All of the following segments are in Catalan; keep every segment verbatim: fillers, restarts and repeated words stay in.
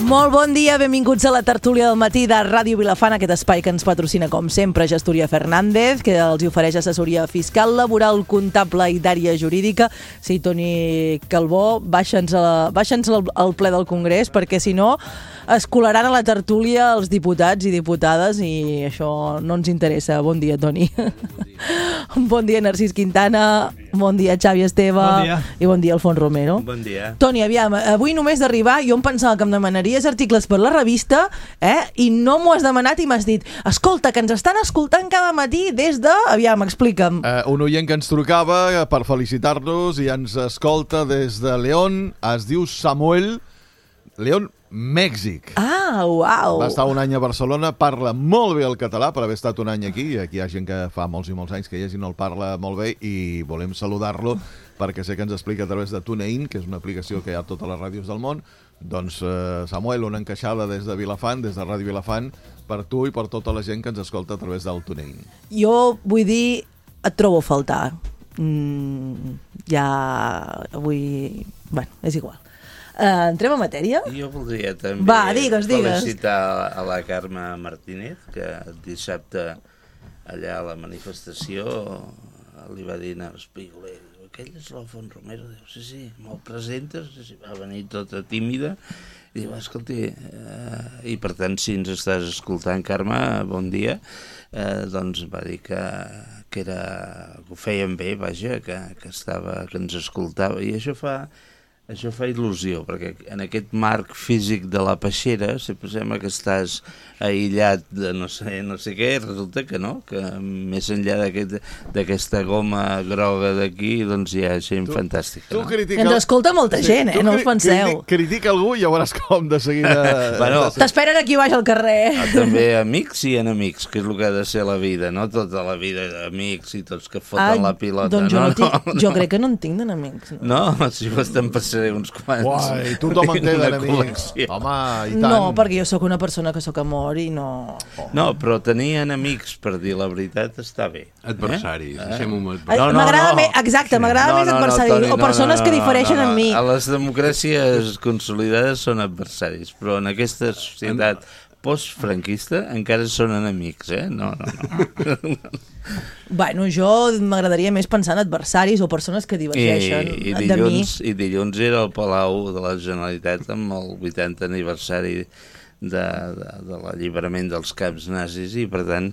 Molt bon dia, benvinguts a la tertúlia del matí de Ràdio Vilafant, aquest espai que ens patrocina, com sempre, Gestoria Fernández, que els ofereix assessoria fiscal, laboral, comptable i d'àrea jurídica. Sí, Toni Calbó, baixa'ns al, al ple del Congrés, perquè si no es colaran a la tertúlia els diputats i diputades i això no ens interessa. Bon dia, Toni. Bon dia, Narcís Quintana. Bon dia, Xavi Esteve. Bon dia. I bon dia, Alfons Romero. Bon dia. Toni, aviam, avui només d'arribar jo em pensava que em demanaries articles per la revista, eh? I no m'ho has demanat i m'has dit, escolta, que ens estan escoltant cada matí des de... Aviam, explica'm. Uh, un oient que ens trucava per felicitar-nos i ens escolta des de León, es diu Samuel, León, Mèxic. Ah, uau. Va estar un any a Barcelona, parla molt bé el català per haver estat un any aquí. Aquí hi ha gent que fa molts i molts anys que hi ha gent no el parla molt bé i volem saludar-lo perquè sé que ens explica a través de TuneIn, que és una aplicació que hi ha a totes les ràdios del món. Doncs, eh, Samuel, una encaixada des de Vilafant, des de Ràdio Vilafant, per tu i per tota la gent que ens escolta a través del TuneIn. Jo vull dir, et trobo a faltar. Mm, ja avui... Bueno, és igual. Uh, entrem a matèria? Jo voldria també Va, digues, digues. felicitar a la Carme Martínez, que dissabte allà a la manifestació li va dir al Espigoler, aquell és l'Alfons Romero, diu, sí, sí, me'l presentes, sí, sí, va venir tota tímida, i diu, escolti, eh, i per tant, si ens estàs escoltant, Carme, bon dia, eh, doncs va dir que, que, era, que ho feien bé, vaja, que, que, estava, que ens escoltava, i això fa... Això fa il·lusió, perquè en aquest marc físic de la peixera, si posem que estàs aïllat de no sé, no sé què, resulta que no, que més enllà d'aquesta goma groga d'aquí, doncs hi ha gent tu, fantàstica. Tu no? critica... Ens escolta molta sí, gent, eh? No us penseu. Critica, critica algú i ja veuràs com de seguida... bueno, t'esperen aquí baix al carrer. També amics i enemics, que és el que ha de ser la vida, no tota la vida d'amics i tots que foten ah, la pilota. Doncs jo, no, no tinc, no, jo no. crec que no en tinc d'enemics. No, no si bastant passaré uns quants. Uai, tothom en té d'enemics. Home, i tant. No, perquè jo sóc una persona que sóc amor i no... Oh. No, però tenir enemics, per dir la veritat, està bé. Adversaris, eh? deixem-ho amb adversaris. No, no, m'agrada no. més, exacte, m'agrada no, més no, adversaris, no, Toni, o persones no, no, que difereixen no, no. en mi. A les democràcies consolidades són adversaris, però en aquesta societat postfranquista encara són enemics, eh? No, no, no. Bueno, jo m'agradaria més pensar en adversaris o persones que divergeixen I, i de dilluns, mi. I dilluns era al Palau de la Generalitat amb el vuitanta aniversari de, de, de l'alliberament dels camps nazis i, per tant,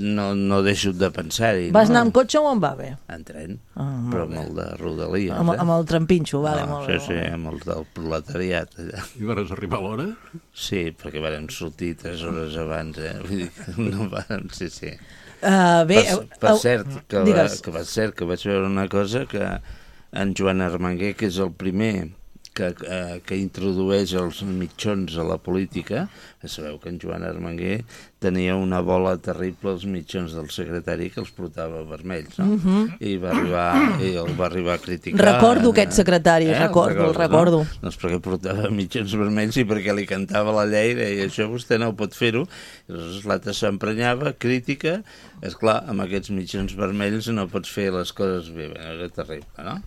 no, no deixo de pensar-hi. Vas no? anar amb cotxe o amb AVE? En tren, ah, però amb el de Rodalies. Amb, eh? amb el trampinxo, vale, no, molt sí, bé. Sí, amb el del proletariat. Allà. I vas arribar a l'hora? Sí, perquè vàrem sortir tres hores abans, eh? Vull dir que no vàrem, sí, sí. Uh, bé, per, per, uh, cert, que va, digues. que va cert que vaig veure una cosa que en Joan Armenguer, que és el primer que, eh, que introdueix els mitjons a la política, sabeu que en Joan Armenguer tenia una bola terrible als mitjons del secretari que els portava vermells, no? Uh-huh. I va arribar, i el va arribar a criticar. Recordo aquest secretari, eh? recordo, el recordo. No? Doncs perquè portava mitjons vermells i perquè li cantava la llei i deia, això vostè no ho pot fer-ho. I llavors l'altre s'emprenyava, crítica, esclar, amb aquests mitjons vermells no pots fer les coses bé, era terrible, no?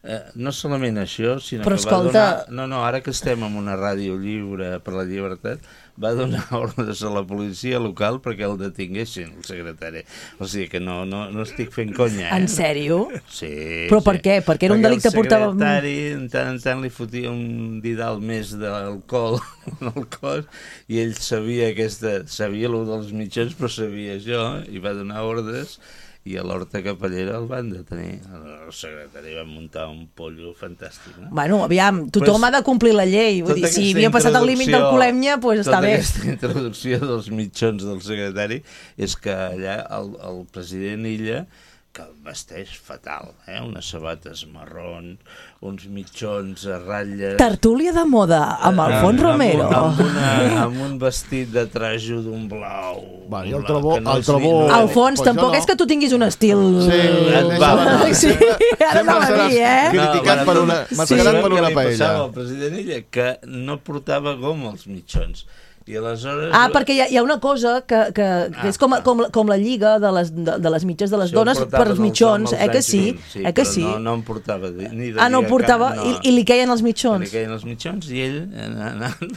Eh, no solament això, sinó però que escolta... va donar... No, no, ara que estem en una ràdio lliure per la llibertat, va donar ordres a la policia local perquè el detinguessin, el secretari. O sigui que no, no, no estic fent conya, eh? En sèrio? Sí. Però sí. per què? Perquè era un delicte que portava... Perquè el secretari en tant en tant li fotia un didal més d'alcohol al cos i ell sabia aquesta... sabia el dels mitjans, però sabia això i va donar ordres i a l'Horta Capellera el van detenir. El secretari va muntar un pollo fantàstic, no? Bueno, aviam, tothom pues, ha de complir la llei. Vull dir, si havia passat el límit del colemnya, doncs pues està bé. Tota aquesta introducció dels mitjons del secretari és que allà el, el president Illa, que vesteix fatal, eh? Unes sabates marrons, uns mitjons a ratlles... Tertúlia de moda, amb Alfons amb, Romero. Amb, amb, una, amb un vestit de trajo d'un blau... Va, i el trobo... No el trobo... Alfons, pues tampoc no. És que tu tinguis un estil... Sí, va, va, va. Sí, ara no va dir, eh? Criticat no, per una... Mascarat sí. per una paella. El president Illa, que no portava goma als mitjons. I aleshores... Ah, perquè hi ha, hi ha una cosa que, que, que és com, com, com la lliga de les, de, de les mitges de les dones per els mitjons, eh que sí? sí eh que sí? No, no em portava ni de Ah, no portava, no. I, i li queien els mitjons. I li queien els mitjons i ell, anant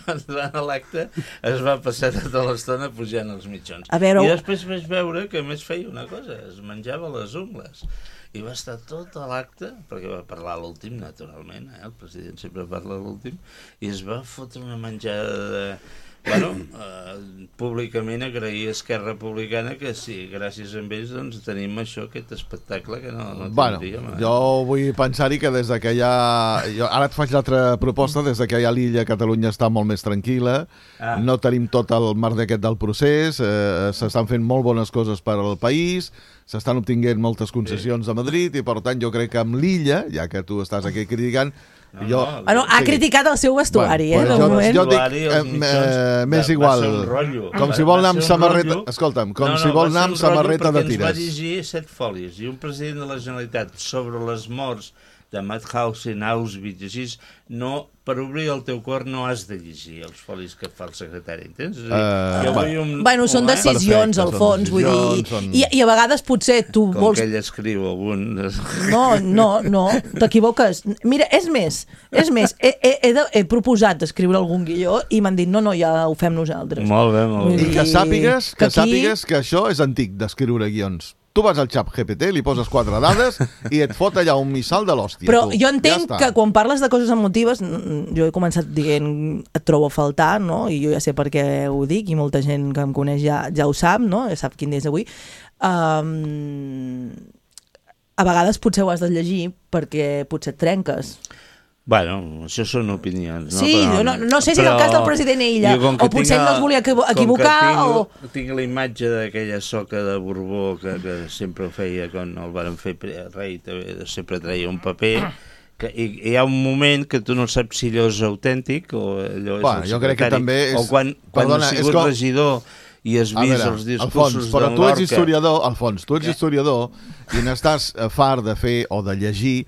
a l'acte, es va passar tota l'estona pujant els mitjons. A veure... I després vaig veure que a més feia una cosa, es menjava les ungles. I va estar tot a l'acte, perquè va parlar a l'últim, naturalment, eh? El president sempre parla a l'últim, i es va fotre una menjada de... Bueno, eh, públicament agrair a Esquerra Republicana que sí, gràcies a ells doncs tenim això, aquest espectacle que no, no bueno, tindríem. Eh? Jo vull pensar-hi que des de que hi ha... Jo, ara et faig l'altra proposta, des de que hi ha l'illa, Catalunya està molt més tranquil·la, ah. no tenim tot el marc aquest del procés, eh, s'estan fent molt bones coses per al país, s'estan obtinguent moltes concessions sí. de Madrid i per tant jo crec que amb l'illa, ja que tu estàs aquí criticant, No, jo, no, bueno, ha sí. criticat el seu vestuari, bueno, eh, de jo, moment. Jo dic, eh, eh, més igual, com si vol anar amb samarreta... Escolta'm, com no, no, si vol anar amb samarreta de tires. Ens va llegir set folis i un president de la Generalitat sobre les morts de Mauthausen, Auschwitz, així, no, per obrir el teu cor no has de llegir els folis que fa el secretari, entens? És a dir, uh, jo vull un... Bueno, són decisions, al fons, vull dir, són... I, i a vegades potser tu Com vols... que ell escriu algun... No, no, no, t'equivoques. Mira, és més, és més, he, he, he, de, he proposat escriure algun guió i m'han dit, no, no, ja ho fem nosaltres. Molt bé, molt bé. I que sàpigues que, que aquí... sàpigues que això és antic, d'escriure guions. Tu vas al xat G P T, li poses quatre dades i et fot allà un missal de l'hòstia. Però tu. jo entenc ja que quan parles de coses emotives, jo he començat dient et trobo a faltar, no? I jo ja sé per què ho dic, i molta gent que em coneix ja, ja ho sap, no? Ja sap quin dia és avui. Um, a vegades potser ho has de llegir perquè potser et trenques. Bueno, això són opinions, no? Sí, però, no, no sé si era el cas del president Illa, o potser ell no es volia equivocar, tinc, o... Tinc la imatge d'aquella soca de Borbó que, que sempre ho feia quan el van fer rei, sempre treia un paper, que hi, hi ha un moment que tu no saps si allò és autèntic o allò és bueno, el jo crec que també és... o quan, quan Perdona, has sigut com... regidor i has vist veure, els discursos Alfons, però d'en tu ets Lorca. historiador, Alfons, tu ets historiador i n'estàs fart de fer o de llegir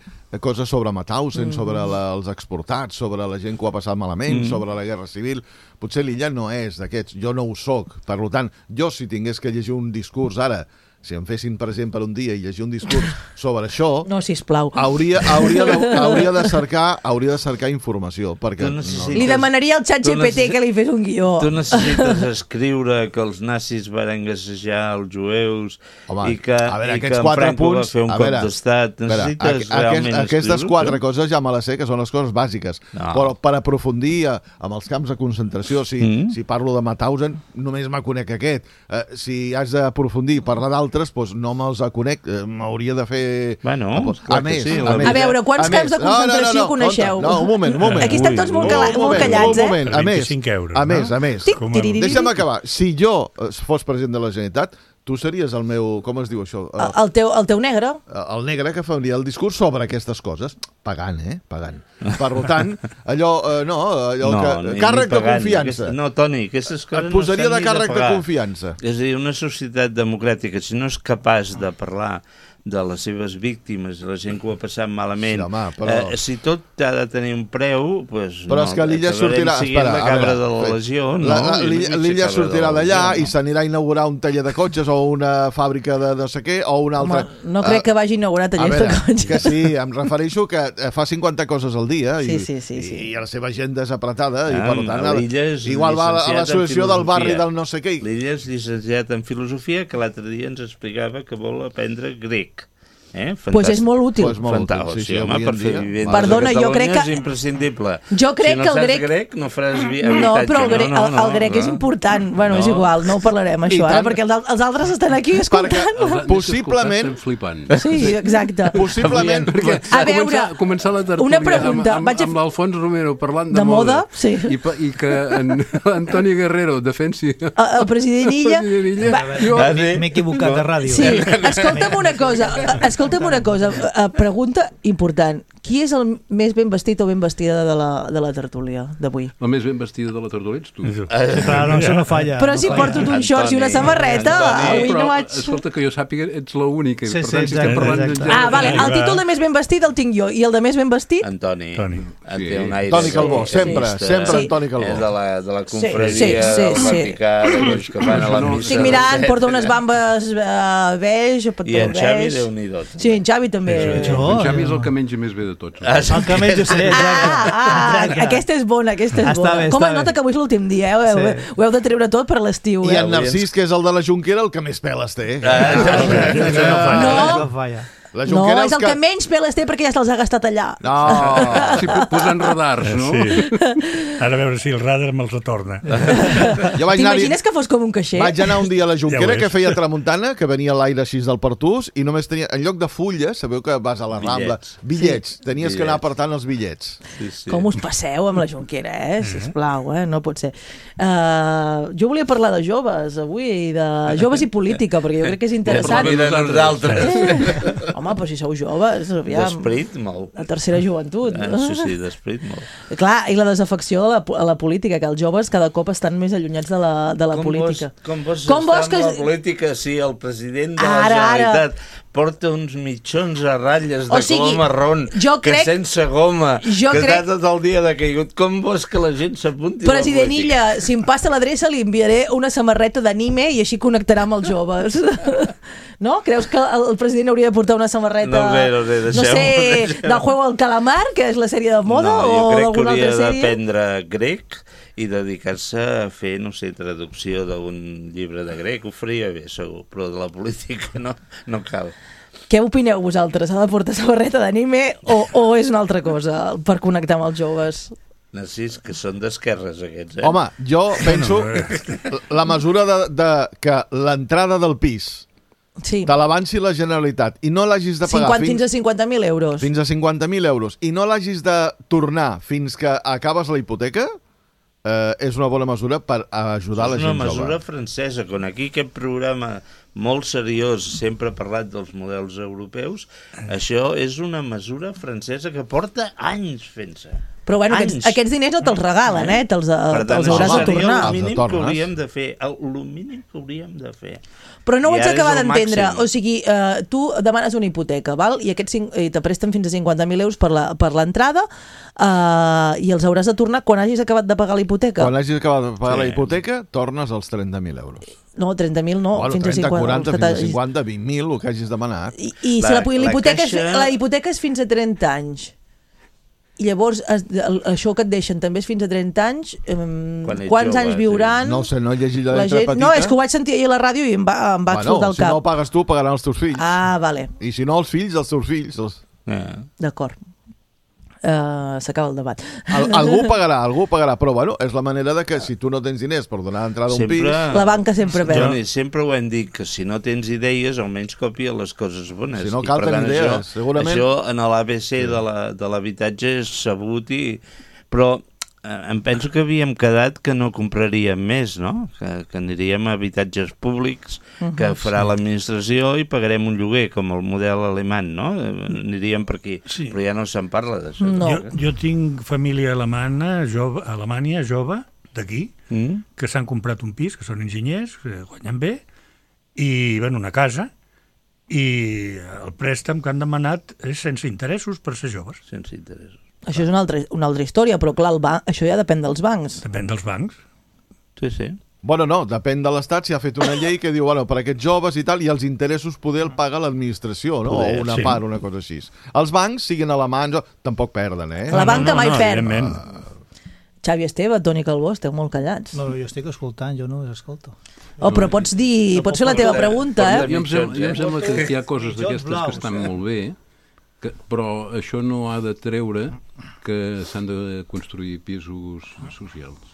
coses sobre Mauthausen, mm. sobre la, els exportats, sobre la gent que ho ha passat malament, mm. sobre la guerra civil. Potser l'Illa no és d'aquests, jo no ho soc. Per tant, jo si tingués que llegir un discurs ara, si em fessin present per un dia i llegir un discurs sobre això, no, sisplau. Hauria, hauria, de, hauria, de cercar, hauria de cercar informació. Perquè necessites... no, Li demanaria al xat G P T necessit... que li fes un guió. Tu necessites escriure que els nazis van gassejar els jueus. Home, i que, a veure, i que aquests en quatre Franco punts, va fer un a cop veure, d'estat. Necessites veure, a, realment aquest, Aquestes quatre això? coses ja me les sé, que són les coses bàsiques. No. Però per aprofundir amb els camps de concentració, si, mm. si parlo de Mauthausen, només me conec aquest. Uh, si has d'aprofundir i parlar d'altres, doncs no me'ls conec. Uh, M'hauria de fer... Bueno, a més, sí, a, més, a veure, quants camps de concentració no, no, no, coneixeu? No, un moment, un moment. Aquí estem tots molt, cala, molt callats, eh? A més, a més, a més. Deixa'm acabar. Si jo fos president de la Generalitat, tu series el meu... Com es diu això? El, el, teu, el teu negre. El negre que faria el discurs sobre aquestes coses. Pagant, eh? Pagant. Per tant, allò... Eh, no, allò no, que... Ni, càrrec ni pagant, de confiança. Aquesta, no, Toni, aquestes coses et posaria no de càrrec de, de confiança. És a dir, una societat democràtica, si no és capaç de parlar de les seves víctimes, la gent que ho ha passat malament, sí, home, però... eh, si tot ha de tenir un preu, doncs però no, és que l'Illa sortirà... Espera, la cabra de la legió, no? L'Illa sortirà d'allà i s'anirà a inaugurar un taller de cotxes o una fàbrica de no sé què, o una altra... Home, no crec uh, que vagi a inaugurar tallers de cotxes. Que sí, em refereixo que fa cinquanta coses al dia sí, i, sí, sí, sí. i la seva agenda és apretada ah, i per tant igual va a l'associació del barri del no sé què. L'Illa és llicenciat en filosofia, que l'altre dia ens explicava que vol aprendre grec. Eh? Pues és molt útil. Pues molt Fantàstic, útil, sí, sí, home, per fer vivents Perdona, jo crec que... és imprescindible. Jo crec si no que el grec... grec no faràs vi... No, però el grec, no, no, el, el grec no, és important. Bueno, no. És igual, no ho parlarem, això, ara, perquè els altres estan aquí escoltant. Perquè, possiblement... flipant. Sí, exacte. Possiblement... Perquè a veure, començar, començar la tertúlia una pregunta, amb, amb, vaig a... amb l'Alfons Romero parlant de, de moda, moda sí. i, i que en Antoni Guerrero defensi el, el president Illa... Va, jo m'he equivocat de ràdio. Sí, escolta'm una cosa, escolta'm una cosa, pregunta important. Qui és el més ben vestit o ben vestida de la, de la tertúlia d'avui? La més ben vestida de la tertúlia ets tu. Clar, no, això no falla. Però no si falla. porto un shorts i una samarreta, Antoni. avui Però, no vaig... escolta, que jo sàpiga, ets l'única. Sí, per sí, tant, si exacte, estem parlant exacte. d'un Ah, gènere- vale, el títol de més ben vestit el tinc jo, i el de més ben vestit? Antoni. Toni. En Sí. té un aire Toni Calbó, de- sempre, de- sempre Sí. en Toni Calbó. És de la, de la Sí, confraria sí, sí, del sí. Vaticà, d'aquells que van a la missa. Estic mirant, etcètera. porta unes bambes uh, beix, I pantaló en Xavi, beix. Déu-n'hi-do. Sí, en Xavi també. Jo, En Xavi és el que menja més bé de tots. Ah, sí. El que menys ho sé, exacte. Ah, ah, Exacte. aquesta és bona, aquesta és Està bona. bé, Com està es nota bé. que avui és l'últim dia, eh? Ho, heu, Sí. ho heu de treure tot per l'estiu, I eh? en Narcís, que és el de la Junquera, el que més peles té. Ah, Això no falla. No. Això no falla. La No, Junquera és el que menys peles té perquè ja se'ls ha gastat allà. No. Sí, posant radars, no? Sí. Ara a veure si el radar me'ls retorna. Jo vaig anar, T'imagines que fos com un caixer? vaig anar un dia a la Junquera, Ja ho és. que feia tramuntana, que venia l'aire així del Pertús, i només tenia, en lloc de fulles, sabeu que vas a la Rambla, Bitllets. bitllets, tenies que anar Bitllets. apartant els bitllets. Sí, sí. Com us passeu amb la Junquera, eh? Sisplau, eh? No pot ser. Uh, jo volia parlar de joves avui, de joves i política, perquè jo crec que és interessant. I de nosaltres. Eh, home, però si sou joves, aviam. D'esperit, molt. La tercera joventut. Ah, sí, sí, d'esperit, molt. Clar, i la desafecció de la, a la política, que els joves cada cop estan més allunyats de la, de la com política. Vols, com vols Com estar vols amb que- la política si el president de Ara, la ara. Generalitat porta uns mitjons a ratlles de O sigui, color marrón, jo que crec- sense goma, jo que crec- està tot el dia decaigut? Com vols que la gent s'apunti a la President política? Illa, si em passa l'adreça li enviaré una samarreta d'anime i així connectarà amb els joves. No? Creus que el, el president hauria de portar una samarreta... No sé, no sé, no deixeu-ho, sé, deixeu-ho. del Juego del Calamar, que és la sèrie de moda, no, jo o crec que d'alguna hauria altra sèrie? d'aprendre grec i dedicar-se a fer, no sé, traducció d'un llibre de grec. Ho faria bé, segur, però de la política no, no cal. Què opineu vosaltres? Ha de portar samarreta d'anime o, o és una altra cosa per connectar amb els joves? Narcís, que són d'esquerres aquests, eh? Home, jo penso la mesura de, de que l'entrada del pis Sí. te l'avanci la Generalitat i no l'hagis de pagar cinquanta, fins a cinquanta mil euros. fins a cinquanta mil euros i no l'hagis de tornar fins que acabes la hipoteca, eh, és una bona mesura per ajudar la És una gent mesura jove. francesa, quan aquí aquest programa molt seriós sempre ha parlat dels models europeus, això és una mesura francesa que porta anys fent-se. Però bueno, Anys. aquests, aquests diners no te'ls regalen, eh? Te'ls, Per tant, te'ls això hauràs de seria tornar. el Els mínim que tornes. hauríem de fer. El, el mínim que hauríem de fer. Però no ho I vaig ara és acabar el d'entendre. màxim. O sigui, eh, tu demanes una hipoteca, val? I aquests cinc, i te presten fins a cinquanta mil euros per la- per l'entrada eh, i els hauràs de tornar quan hagis acabat de pagar la hipoteca. Quan hagis acabat de pagar Sí. la hipoteca, tornes als trenta mil euros. No, trenta mil no, bueno, fins a trenta, cinquanta. quaranta, els que fins a t'hagis- cinquanta, vint mil, el que hagis demanat. I, i La- si la, la, la hipoteca és, caixa- la hipoteca és fins a trenta anys. I llavors es, el, això que et deixen també és fins a trenta anys. Eh, Quan ets quants jove, anys sí. viuran? No ho sé, no he llegit la la lletra gent... petita. No, és que ho vaig sentir ahir a la ràdio i em va, em va bueno, explotar el si cap. no ho pagues tu, pagaran els teus fills. Ah, vale, I si no, els fills, els teus fills. Els... Eh. d'acord. Uh, S'acaba el debat. Al, algú pagarà, algú pagarà, però bueno, és la manera de que si tu no tens diners per donar entrada a un Sempre... pis... La banca sempre perd. Toni, sempre ho hem dit, que si no tens idees, almenys copia les coses bones. Si no, I, cal per tant, tenir idees, això, segurament. Això en l'A B C de la- de l'habitatge és sabut, i... però eh, em penso que havíem quedat que no compraríem més, no? Que, que aniríem a habitatges públics que farà l'administració i pagarem un lloguer, com el model alemany, no? Eh, Aniríem per aquí, Sí. però ja no se'n parla d'això. No. Jo, jo tinc família alemana, jove, a Alemanya, jove, d'aquí, Mm? que s'han comprat un pis, que són enginyers, que guanyen bé, i ven una casa, i el préstec que han demanat és sense interessos per ser joves. Sense interessos. Això és una altra, una altra història, però clar, el banc, això ja depèn dels bancs. Depèn dels bancs. Sí, sí. Bueno, no, depèn de l'Estat si ha fet una llei que diu, bueno, per aquests joves i tal, i els interessos poder el paga l'administració, no? Poder, o una sí. part, una cosa així. Els bancs, siguin alemans, o... tampoc perden, eh? La banca mai perd. evidentment. Xavi Esteve, Toni Calbó, esteu molt callats. No, jo estic escoltant, jo no escolto. Oh, però pots dir, pots fer la teva pregunta, eh? Jo em, sembla, jo em eh? sembla que hi ha coses Mitjons d'aquestes que blaus, estan eh? molt bé, que, però això no ha de treure que s'han de construir pisos socials.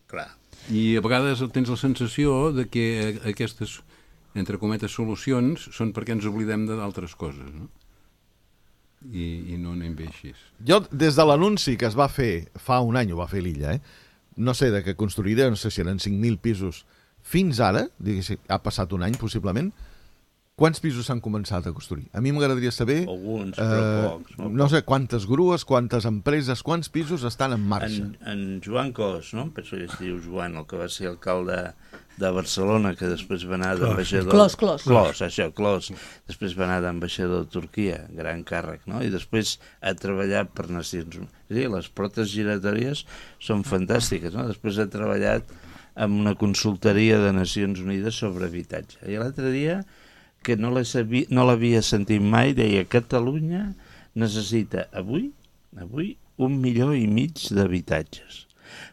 Clar. I a vegades tens la sensació de que aquestes, entre cometes, solucions són perquè ens oblidem d'altres coses, no? I, i no anem bé així. Jo, des de l'anunci que es va fer fa un any, ho va fer l'Illa, eh? no sé, de que construiré, no sé si eren cinc mil pisos, fins ara, diguéssim, ha passat un any possiblement, quants pisos s'han començat a construir? A mi m'agradaria saber... Alguns, però eh, pocs. Molt no sé, quantes grues, quantes empreses, quants pisos estan en marxa. En, en Joan Cos, no? Penso que es diu Joan, el que va ser alcalde de Barcelona, que després va anar d'ambaixador... Clos, Clos. Clos, això, Clos. Després va anar d'ambaixador a Turquia, gran càrrec, no? I després ha treballat per Nacions Unides. Sí, les portes giratòries són fantàstiques, no? Després ha treballat amb una consultoria de Nacions Unides sobre habitatge. I l'altre dia, que no l'havia sentit mai, deia Catalunya necessita avui, avui, un milió i mig d'habitatges.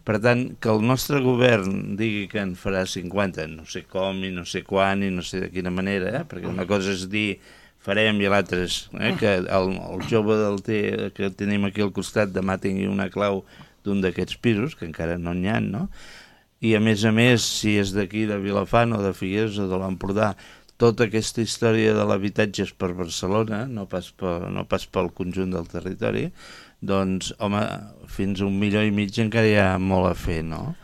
Per tant, que el nostre govern digui que en farà cinquanta, no sé com i no sé quan i no sé de quina manera, eh? Perquè una cosa és dir farem i l'altra és eh? que el, el jove del T que tenim aquí al costat demà tingui una clau d'un d'aquests pisos, que encara no n'hi ha, no? I a més a més, si és d'aquí de Vilafant o de Figueres o de l'Empordà, tota aquesta història de l'habitatge és per Barcelona, no pas, per, no pas pel conjunt del territori, doncs, home, fins a un milió i mig encara hi ha molt a fer, no?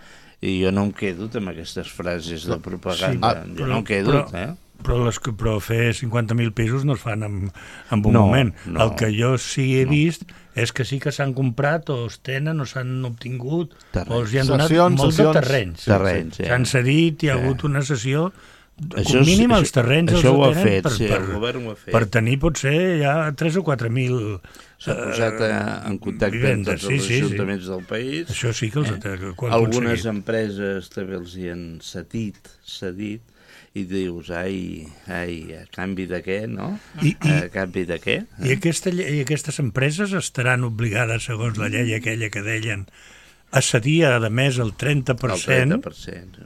I jo no em quedo amb aquestes frases de propaganda, sí, jo no em quedo, però, eh? Però, les, però fer cinquanta mil pisos no es fan en, en un no, moment. No, El que jo sí he no. vist és que sí que s'han comprat o es tenen o s'han obtingut terrenys. O els hi han donat sessions, molts sessions, de terrenys. terrenys sí. S'han cedit, hi ha sí. hagut una sessió. Això Com mínim és, els terrenys això els ho ha tenen fet, per, sí, per, el govern ho ha fet. per tenir potser ja tres o quatre mil s'ha posat a, en contacte amb tots sí, els sí, ajuntaments sí. del país. Això sí que els eh? han Algunes aconseguit. empreses també els hi han cedit, cedit, i dius, ai, ai, a canvi de què, no? I, i, a canvi de què? Eh? I, aquesta, I aquestes empreses estaran obligades, segons la llei aquella que deien, a cedir, a més, el trenta per cent. El trenta per cent.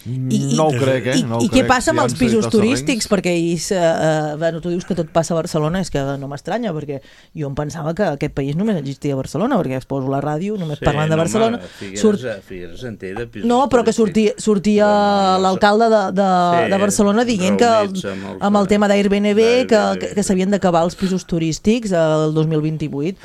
I, no ho crec, eh? I, no ho i què crec. passa amb Si els han pisos cedit els turístics? terrenys. Perquè ells, eh, bueno, tu dius que tot passa a Barcelona, és que no m'estranya, perquè jo em pensava que aquest país només existia a Barcelona, perquè es poso la ràdio, només Sí, parlant de no, Barcelona. home, Figueres, surt... Figueres en té de pisos No, però que sortia, turístics. sortia Bueno, l'alcalde de, de, sí, de Barcelona dient que reunits amb els- amb el tema d'Airbnb que, d'Airbnb. que, que s'havien d'acabar els pisos turístics el dos mil vint-i-vuit.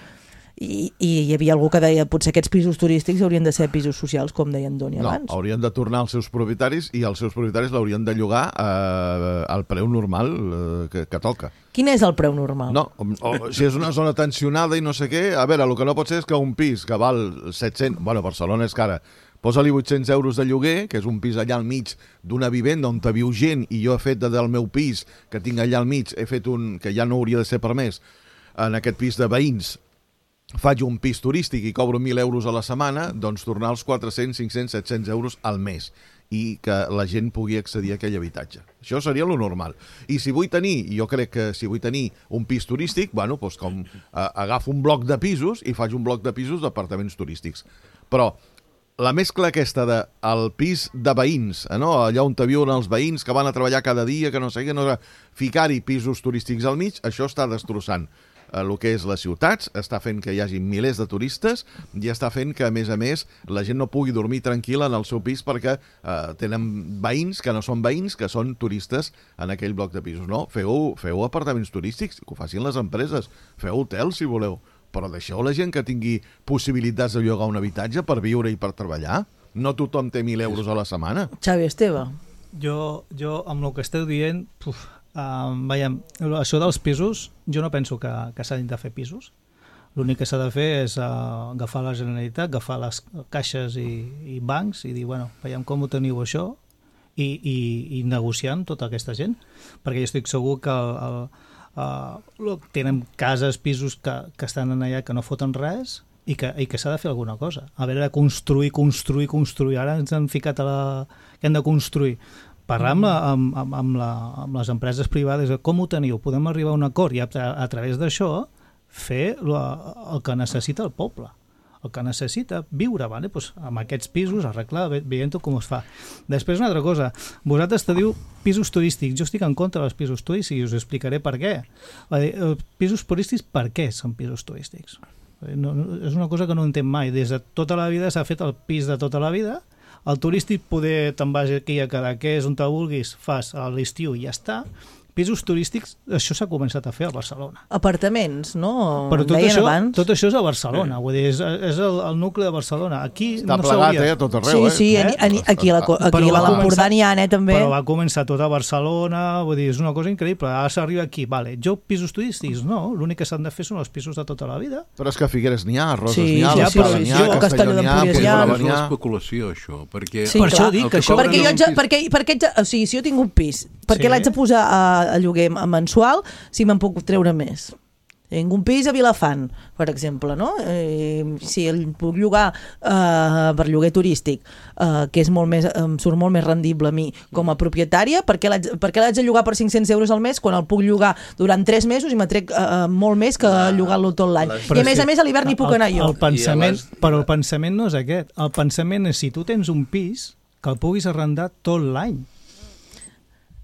I, i hi havia algú que deia potser aquests pisos turístics haurien de ser pisos socials, com deia en Doni No, abans. haurien de tornar als seus propietaris i els seus propietaris l'haurien de llogar eh, al preu normal eh, que, que toca. Quin és el preu normal? No, o, o, si és una zona tensionada i no sé què, a veure, el que no pot ser és que un pis que val set-cents... Bueno, Barcelona és cara. Posa-li vuit-cents euros de lloguer, que és un pis allà al mig d'una vivenda on te viu gent, i jo he fet de, del meu pis, que tinc allà al mig, he fet un que ja no hauria de ser permès, en aquest pis de veïns, faig un pis turístic i cobro mil euros a la setmana, doncs tornar als quatre-cents, cinc-cents, set-cents euros al mes i que la gent pugui accedir a aquell habitatge. Això seria lo normal. I si vull tenir, jo crec que si vull tenir un pis turístic, bueno, doncs com eh, agafo un bloc de pisos i faig un bloc de pisos d'apartaments turístics. Però la mescla aquesta de el pis de veïns, eh, no? Allà on te viuen els veïns que van a treballar cada dia, que no sé què, no, ficar-hi pisos turístics al mig, això està destrossant el que és les ciutats, està fent que hi hagi milers de turistes i està fent que, a més a més, la gent no pugui dormir tranquil·la en el seu pis perquè eh, tenen veïns que no són veïns, que són turistes en aquell bloc de pisos. No, feu, feu apartaments turístics, que ho facin les empreses, feu hotels si voleu, però deixeu la gent que tingui possibilitats de llogar un habitatge per viure i per treballar. No tothom té mil euros a la setmana. Xavi Esteve. Jo, jo amb el que esteu dient, puf, uh, veiem, això dels pisos, jo no penso que, que s'hagin de fer pisos. L'únic que s'ha de fer és uh, agafar la Generalitat, agafar les caixes i, i bancs i dir, bueno, veiem com ho teniu això i, i, i negociar amb tota aquesta gent, perquè jo estic segur que el, el, uh, tenen cases, pisos que, que estan allà que no foten res i que, i que s'ha de fer alguna cosa. A veure, construir, construir, construir. Ara ens han ficat a la... que hem de construir. Parlar amb, la, amb, amb, amb, la, amb les empreses privades, com ho teniu? Podem arribar a un acord i a, a través d'això fer la, el que necessita el poble. El que necessita viure, vale? Pues amb aquests pisos, arreglar, veient com es fa. Després una altra cosa, vosaltres te diu pisos turístics, jo estic en contra dels pisos turístics i us explicaré per què. Pisos turístics, per què són pisos turístics? No, no, és una cosa que no entenc mai. Des de tota la vida s'ha fet el pis de tota la vida, el turístic poder te'n vas aquí a quedar, que és on te vulguis, fas a l'estiu i ja està. pisos turístics, això s'ha començat a fer a Barcelona. Apartaments, no? Però tot Deien això, abans. tot això és a Barcelona, vull dir, és, és el, el nucli de Barcelona. Aquí Està no plegat, s'hauria... eh, a tot arreu, Sí, sí, eh? a, a, aquí a la, aquí Però a va l'Empordà començar- n'hi ha, eh, també. Però va començar tot a Barcelona, vull dir, és una cosa increïble. Ara s'arriba aquí, vale, jo pisos turístics, no, l'únic que s'han de fer són els pisos de tota la vida. Però és que a Figueres n'hi ha, a Roses Sí, n'hi ha, a ja, l'Escala però n'hi sí, ha, a a Castelló n'hi ha, a Castelló d'Empúries hi ha. Puigdàlber És n'hi ha. l'especulació, això, perquè... Sí, Per clar. això dic el que això- Perquè jo haig de, pis- perquè, perquè haig de, o sigui, si jo tinc un pis, per què Sí. l'haig de posar a, a lloguer mensual si me'n puc treure més? Tinc un pis a Vilafant, per exemple, no? Eh, si el puc llogar eh, per lloguer turístic, eh, que és molt més, em surt molt més rendible a mi com a propietària, per què l'haig per què l'haig de llogar per cinc-cents euros al mes quan el puc llogar durant tres mesos i m'atrec eh, molt més que llogar-lo tot l'any? les- I a més a més a l'hivern hi puc anar jo. El pensament, I a les- però el pensament no és aquest. El pensament és si tu tens un pis que el puguis arrendar tot l'any.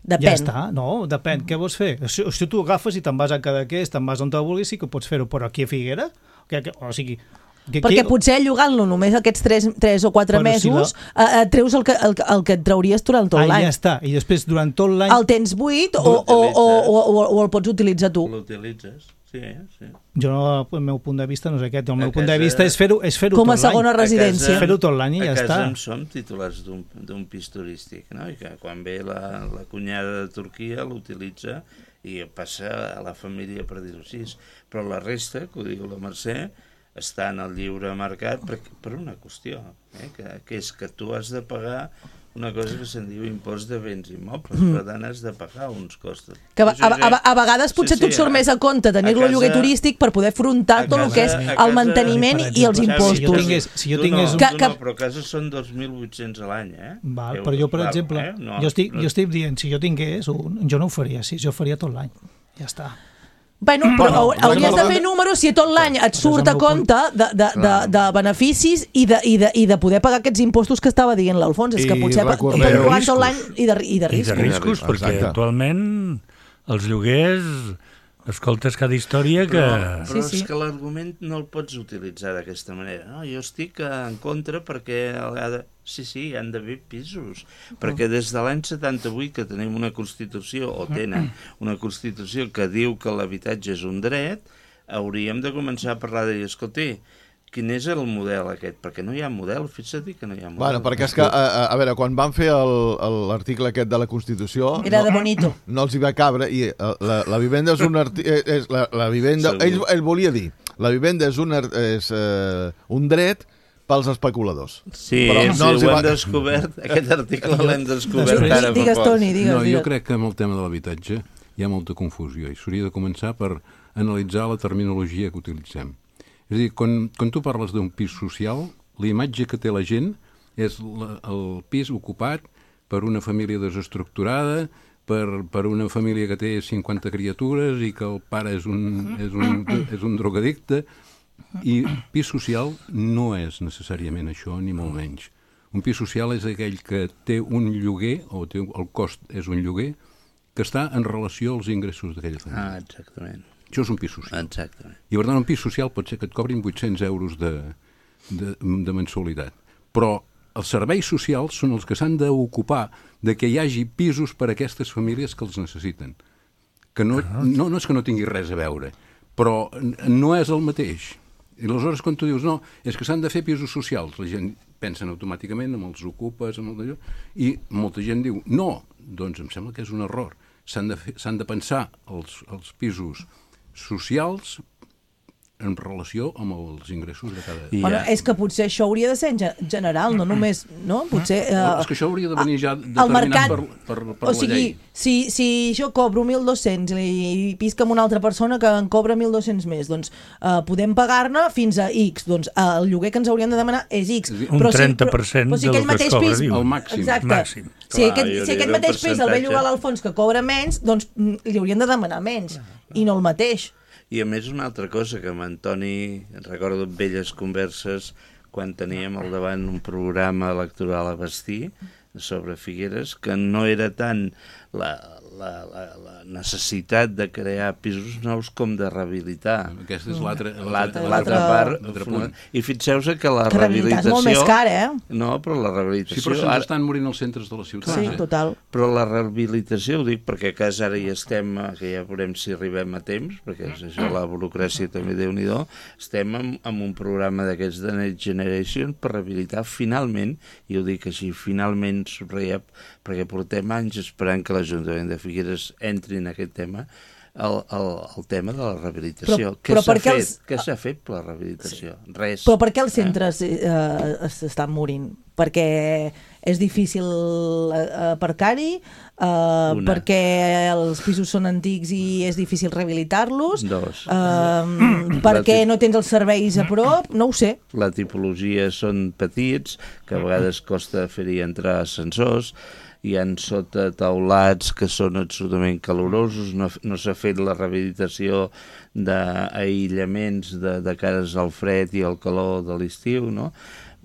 Depèn. Ja està, no, depèn. Què vols fer? Si, si tu agafes i te'n vas a Cadaqués, te'n vas on te vulguis, sí que pots fer-ho, però aquí a Figueres, que, que, o sigui... Que, Perquè que, potser llogant-lo només aquests tres o quatre Però si mesos eh, eh, treus el que, el, que- el que et trauries durant tot ah, l'any. ja està. I després, durant tot l'any... El tens buit o, o, o, o, o, o el pots utilitzar tu? L'utilitzes, sí, sí. Jo, no, el meu punt de vista no és aquest. El A meu punt de casa- vista és fer-ho és fer Com a tot l'any. segona residència. Fer-ho tot l'any i ja a casa està. en som titulars d'un d'un pis turístic, no? I que quan ve la, la cunyada de Turquia l'utilitza i passa a la família, per dir-ho així. Però la resta, que ho diu la Mercè, està en el lliure mercat per, per una qüestió, eh? que, que és que tu has de pagar una cosa que se'n diu impost de béns immobles, mm. per tant has de pagar uns costos. Que a, a, a, a vegades potser Sí, sí, tot surt a- més a compte tenir-lo a lloguer casa- turístic per poder afrontar a tot el que és casa- a el casa- manteniment per i els exemple, impostos. si jo tingués- si jo Tu tingués no, un- Que- tu que- no, però a casa són dos mil vuit-cents a l'any, eh? Val, Euros, però jo, per val, exemple, eh? No, jo, estic, no- jo estic dient, si jo tingués un, jo no ho faria així, jo faria tot l'any. Ja està. Bueno, però Bueno, hau- hauries de parlant fer de- números si tot l'any et surt és a el meu compte de, de, de, de beneficis i de, i, de, i de poder pagar aquests impostos que estava dient l'Alfons. És que I potser per recordeu- llogar riscos. tot l'any i de, i de I de riscos. riscos, Exacte. perquè actualment els lloguers, escoltes cada història que... Però, però Sí, sí. és que l'argument no el pots utilitzar d'aquesta manera. No? Jo estic en contra perquè... Ha de... Sí, sí, han d'haver pisos. Perquè des de l'any setanta-vuit que tenim una Constitució, o tenen una Constitució que diu que l'habitatge és un dret, hauríem de començar a parlar de dir, escolti, quin és el model aquest? Perquè no hi ha model, fixa't que no hi ha model. Bueno, perquè és que, a, a, a veure, quan van fer el- el- l'article aquest de la Constitució... Era de no, bonito. no els hi va cabre i eh, la, la vivenda és un arti eh, és la, la vivenda Segur. ell, ell volia dir la vivenda és un, ar- és, eh, un dret pels especuladors. Sí, Però sí, no els hi ho va- hem descobert, aquest article l'hem descobert Després- ara fa Digues, poc. Toni, digues. No, jo digues. crec que amb el tema de l'habitatge hi ha molta confusió i s'hauria de començar per analitzar la terminologia que utilitzem. És a dir, quan, quan tu parles d'un pis social, la imatge que té la gent és la, el pis ocupat per una família desestructurada, per, per una família que té cinquanta criatures i que el pare és un, és un, és un drogadicte. I pis social no és necessàriament això, ni molt menys. Un pis social és aquell que té un lloguer, o té, el cost és un lloguer, que està en relació als ingressos d'aquella família. Ah, exactament. Això és un pis social. Exactament. I per tant, un pis social pot ser que et cobrin vuit-cents euros de, de, de mensualitat. Però els serveis socials són els que s'han d'ocupar de que hi hagi pisos per a aquestes famílies que els necessiten. Que no, no, no és que no tingui res a veure, però no és el mateix. I aleshores, quan tu dius, no, és que s'han de fer pisos socials, la gent pensa automàticament amb els ocupes, amb el d'allò, i molta gent diu, no, doncs em sembla que és un error. S'han de, fer, s'han de pensar els, els pisos socials en relació amb els ingressos de cada... I Bueno, ja- és que potser això hauria de ser en ge- general, no només, no? Potser... Eh, No, és que això hauria de venir ja el determinat mercat, per, per, per o la sigui, llei. si, si jo cobro mil dos-cents i pisca amb una altra persona que en cobra mil dos-cents més, doncs eh, podem pagar-ne fins a X. Doncs eh, el lloguer que ens haurien de demanar és X. És a dir, un Però si- trenta per cent però si del aquell que es mateix cobra, pis... diu. El màxim. Exacte. Màxim. Si Clar, aquest, hi si hauria aquest un mateix pis el ve a percentatge. llogar a l'Alfons que cobra menys, doncs mm, li haurien de demanar menys. I no el mateix. I a més una altra cosa que amb Antoni recordo velles converses quan teníem al davant un programa electoral a Bastí sobre Figueres, que no era tant la, la, la, la necessitat de crear pisos nous com de rehabilitar. Aquesta és l'altra L'altra part. I fixeu-se que la que rehabilitar rehabilitació... és molt més car, eh? No, però la rehabilitació... Sí, però se'ns estan morint els centres de la ciutat. Sí, eh? total. Però la rehabilitació, ho dic perquè a casa ara hi estem, que ja veurem si arribem a temps, perquè és això, la burocràcia també déu-n'hi-do, estem amb, amb un programa d'aquests de Next Generation per rehabilitar finalment, i ho dic així, finalment subratllem, perquè portem anys esperant que l'Ajuntament de Figueres entri en aquest tema, el, el, el tema de la rehabilitació. Però, què s'ha fet? Els... Què s'ha fet per la rehabilitació? Sí. Res. Però per què els centres eh, s'estan morint? Perquè és difícil aparcar-hi, eh, perquè els pisos són antics i és difícil rehabilitar-los, Dos. eh, perquè no tens els serveis a prop, no ho sé. La tipologia són petits, que a vegades costa fer-hi entrar ascensors, hi ha sota taulats que són absolutament calorosos, no, no s'ha fet la rehabilitació d'aïllaments de, de cares al fred i al calor de l'estiu, no?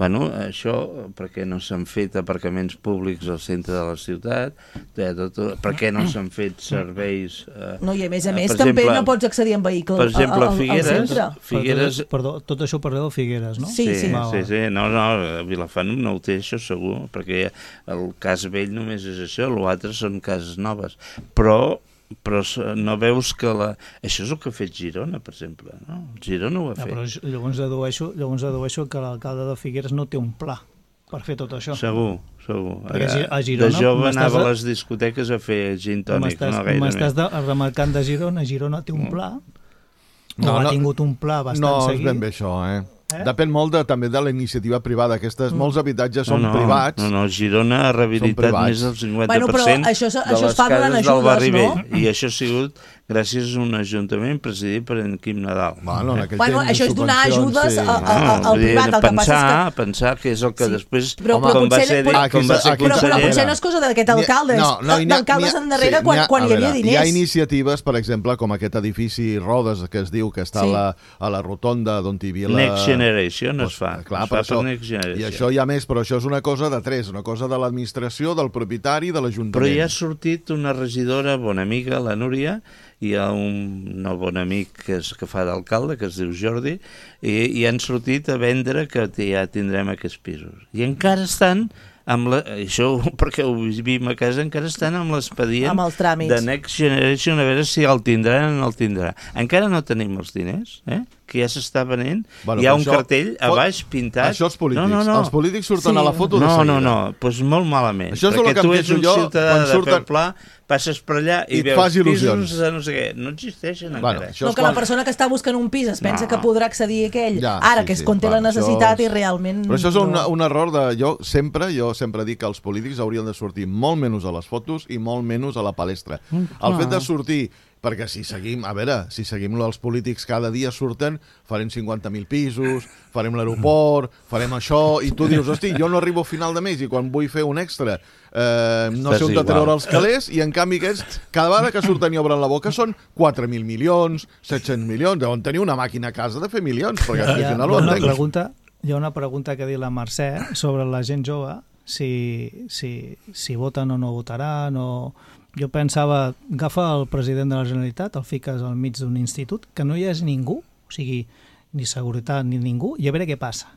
Bueno, això perquè no s'han fet aparcaments públics al centre de la ciutat, tot, perquè no s'han fet serveis... Eh, no, i a més a més també exemple, no pots accedir en vehicle per exemple, al, Figueres, al centre. Figueres... Perdó, tot això parleu de Figueres, no? Sí, sí. Sí, sí, sí. No, no, Vilafant no ho té, això segur, perquè el cas vell només és això, l'altre són cases noves. Però... però no veus que la... Això és el que ha fet Girona, per exemple, no? Girona ho ha ja, fet. Però llavors dedueixo, llavors dedueixo que l'alcalde de Figueres no té un pla per fer tot això. Segur, segur. Perquè a Girona... De jove anava a les discoteques a fer gin tònic, no gaire M'estàs remarcant de Girona, Girona té un pla, no, no ha no, tingut un pla bastant no, seguit. No, és ben bé això, eh? Eh? Depèn molt de, també de la iniciativa privada. Aquestes, mm. molts habitatges són no, no, privats. No, no, Girona ha rehabilitat més del cinquanta per cent bueno, però això, de això les es fa cases ajudes, del barri no? vell. I això ha sigut gràcies a un ajuntament presidit per en Quim Nadal. Bueno, en bueno això és donar ajudes sí. a, a, a, al privat. El que pensar, passa és que... pensar que és el que sí. després, però, home, com, va ser, però, com va ser però, però potser no és cosa d'aquest alcalde, no, no, és d'alcaldes endarrere sí, quan, quan hi havia diners. Hi ha iniciatives, per exemple, com aquest edifici Rodes, que es diu que està sí. a, la, a la rotonda d'on hi havia la... Next Generation es fa. Clar, es fa això, i això hi ha més, però això és una cosa de tres, una cosa de l'administració, del propietari, de l'Ajuntament. Però hi ha sortit una regidora, bona amiga, la Núria, hi ha un nou bon amic que, és, que fa d'alcalde, que es diu Jordi, i, i han sortit a vendre que ja tindrem aquests pisos. I encara estan, amb la, això perquè ho vivim a casa, encara estan amb l'expedient de Next Generation, a veure si el tindran o no el tindrà. Encara no tenim els diners, eh? Que ja s'està venent, bueno, hi ha un això, cartell a baix pintat... Això els polítics, no, no, no. els polítics surten sí. a la foto de no, seguida. No, no, no, doncs molt malament, això és perquè tu ets un jo, ciutadà de surten... peu pla, passes per allà i, i veus pisos de no sé què, no existeixen bueno, encara. No, que quan... la persona que està buscant un pis es pensa no. que podrà accedir a aquell, ja, ara sí, que es conté sí, la necessitat és... i realment... Però això és un, no. un error de... Jo sempre, jo sempre dic que els polítics haurien de sortir molt menys a les fotos i molt menys a la palestra. Mm, el fet de sortir... Perquè si seguim, a veure, si seguim els polítics cada dia surten, farem cinquanta mil pisos, farem l'aeroport, farem això, i tu dius, hosti, jo no arribo a final de mes i quan vull fer un extra eh, no sé on de treure els calés, i en canvi aquests, cada vegada que surten i obren la boca són quatre mil milions, set-cents milions, deuen tenir una màquina a casa de fer milions, perquè hi ha, no ho entenc. Pregunta, hi ha una pregunta que ha dit la Mercè sobre la gent jove, si, si, si voten o no votaran, o... Jo pensava, agafa el president de la Generalitat, el fiques al mig d'un institut, que no hi és ningú, o sigui, ni seguretat ni ningú, i a veure què passa.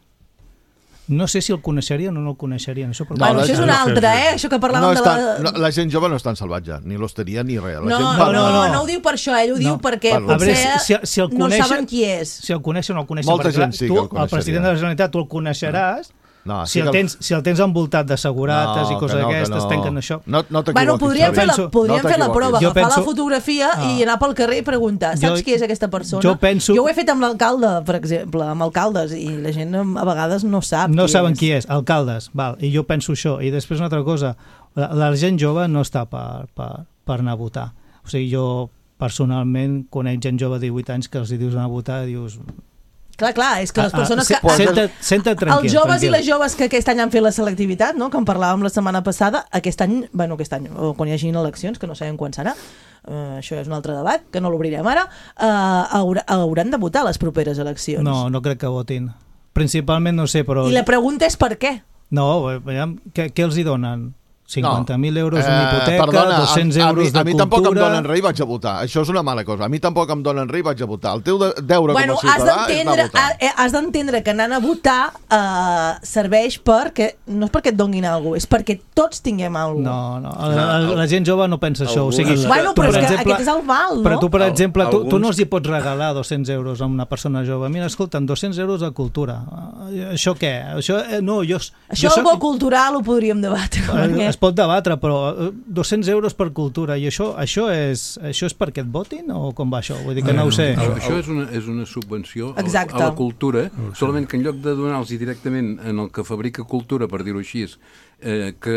No sé si el coneixerien o no el coneixerien. Això, no, bueno, això és una altra, eh? Això que parlàvem no està, de la... No, la gent jove no és tan salvatge, ni l'hosteria ni res. La no, gent no, parla... no, no, no ho diu per això, ell ho diu no. perquè bueno, potser veure, si, si el coneixen, no saben qui és. Si el coneixen o no el coneixen, molta gent sí tu, que el el president de la Generalitat, tu el coneixeràs, no, si, el tens, si el tens envoltat de segurates no, i coses no, d'aquestes, no. tanquen això. No, no bueno, podríem fer la, podríem no fer la prova, jo agafar penso... la fotografia ah. i anar pel carrer i preguntar, saps jo, qui és aquesta persona? Jo, penso... jo ho he fet amb l'alcalde, per exemple, amb alcaldes, i la gent a vegades no sap no qui saben és. qui és, alcaldes, val, i jo penso això. I després una altra cosa, la, la gent jove no està per, per, per anar a votar. O sigui, jo personalment conec gent jove de divuit anys que els dius anar a votar i dius... Clar, clar, és que les persones ah, ah, que... Senta, senta tranquil, els joves tranquil. I les joves que aquest any han fet la selectivitat, no?, que en parlàvem la setmana passada, aquest any, bueno, aquest any, o quan hi hagin eleccions, que no sabem quan serà, uh, això és un altre debat, que no l'obrirem ara, uh, haurà, hauran de votar les properes eleccions. No, no crec que votin. Principalment no sé, però... I la pregunta és per què? No, veiem, què, què els hi donen? cinquanta mil euros Eh, una hipoteca, perdona, dos-cents a, a, euros mi, de a mi cultura... tampoc em donen res i vaig a votar. Això és una mala cosa. A mi tampoc em donen res i vaig a votar. El teu de, deure Bueno, com a has ciutadà és anar d'entendre a votar. ha- has d'entendre que anant a votar eh, serveix perquè, no és perquè et donguin alguna cosa, és perquè tots tinguem alguna cosa. No, no, la, la, la gent jove no pensa això. O sigui, Algunes- Bueno, tu, però per és que exemple, aquest és el mal, no? Però tu, per Al- exemple, tu, tu alguns- no els hi pots regalar dos-cents euros a una persona jove. Mira, escolta'm, dos-cents euros a cultura. Eh, Això què? Això, eh, no, jo... Això jo el bo cultural ho podríem debatre. Eh, perquè- Es pot debatre, però eh, dos-cents euros per cultura, i això, això, és, això és perquè et votin o com va això? Vull dir que no ho sé. Això, això és, una, és una subvenció a la, Exacte. a la cultura, solament que en lloc de donar-los directament en el que fabrica cultura, per dir-ho així, eh, que,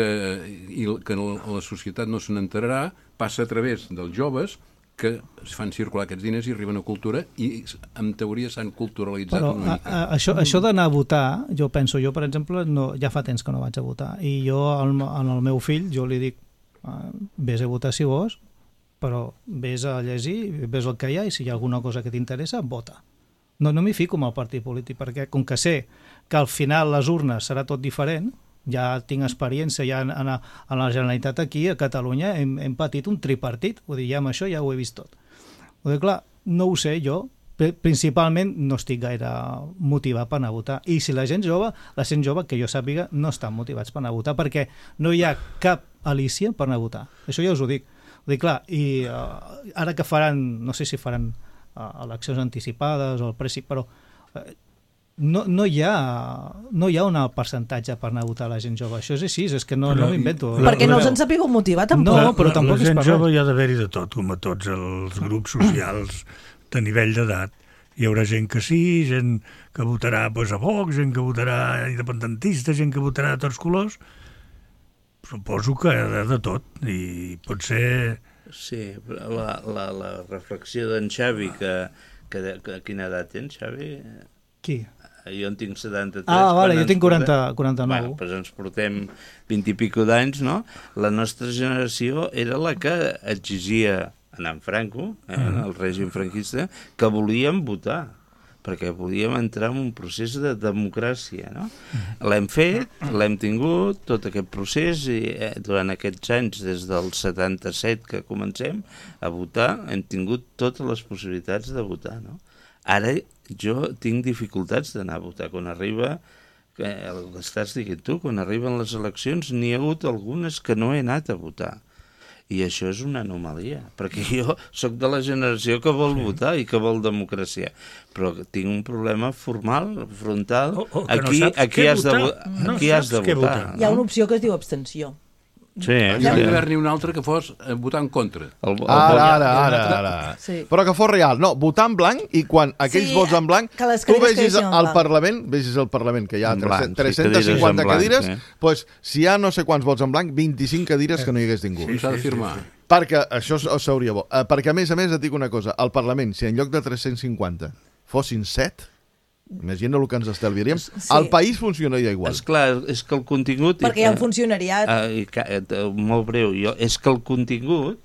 i que la societat no se n'enterarà, passa a través dels joves que es fan circular aquests diners i arriben a cultura i en teoria s'han culturalitzat Però una a, mica. a, això, això d'anar a votar, jo penso, jo per exemple, no, ja fa temps que no vaig a votar, i jo al, al meu fill, jo li dic, ah, vés a votar si vols, però vés a llegir, vés el que hi ha, i si hi ha alguna cosa que t'interessa, vota. No, no m'hi fico amb el partit polític, perquè com que sé que al final les urnes serà tot diferent, ja tinc experiència, ja en, en, en la Generalitat aquí, a Catalunya, hem, hem patit un tripartit, vull dir, ja amb això ja ho he vist tot. Vull dir, clar, no ho sé jo, Pri- principalment no estic gaire motivat per anar a votar, i si la gent jove, la gent jove que jo sàpiga, no estan motivats per anar a votar, perquè no hi ha cap alícia per anar a votar, això ja us ho dic. Vull dir, clar, i uh, ara que faran, no sé si faran uh, eleccions anticipades o el preci, però uh, no, no, hi ha, no hi ha un alt percentatge per anar a votar la gent jove. Això és així, és que no, Però no m'invento. la- Perquè no se'n sapigut motivar, tampoc. No, però la, tampoc la és gent per jove res. hi ha d'haver-hi de tot, com a tots els grups socials de nivell d'edat. Hi haurà gent que sí, gent que votarà doncs, a Vox, gent que votarà independentista, gent que votarà de tots colors. Suposo que de, de tot, i pot ser... Sí, la, la, la reflexió d'en Xavi, que, que, que quina edat tens, Xavi? Qui? Jo en tinc setanta-tres. Ah, vale, quan jo ens tinc quaranta, portem- quaranta-nou. Bueno, doncs ens portem vint i pico d'anys, no? La nostra generació era la que exigia, en en Franco, eh, en el règim franquista, que volíem votar, perquè volíem entrar en un procés de democràcia, no? L'hem fet, l'hem tingut, tot aquest procés, i eh, durant aquests anys, des del setanta-set que comencem a votar, hem tingut totes les possibilitats de votar, no? Ara jo tinc dificultats d'anar a votar. Quan arriba, que el que estàs dient tu, quan arriben les eleccions, n'hi ha hagut algunes que no he anat a votar. I això és una anomalia, perquè jo sóc de la generació que vol sí. votar i que vol democràcia, però tinc un problema formal, frontal. O- o que no aquí saps aquí què has de, votar. vo- No aquí has saps de què votar. votar. Hi ha no? una opció que es diu abstenció. Sí, Hi sí. hauria d'haver-n'hi un altre que fos eh, votar en contra. El, el, Ara, el, ara, ara, ara. Sí. Però que fos real. No, votar en blanc i quan aquells Sí, vots en blanc, que les tu cadires vegis quedessin en al blanc. Parlament, vegis el Parlament, que hi ha En blanc, sí, tres-centes cinquanta cadires en blanc, cadires, eh? pues, si hi ha no sé quants vots en blanc, vint-i-cinc cadires que no hi hagués ningú. I s'ha de firmar. Perquè això s- seria bo. Eh, perquè, a més a més, et dic una cosa. Al Parlament, si en lloc de tres-cents cinquanta fossin set, imagina el que ens estalviaríem, Sí. el país funcionaria igual. Esclar, és que el contingut... Perquè hi ha un funcionariat. Ah, i ca- eh, molt breu, jo, és que el contingut,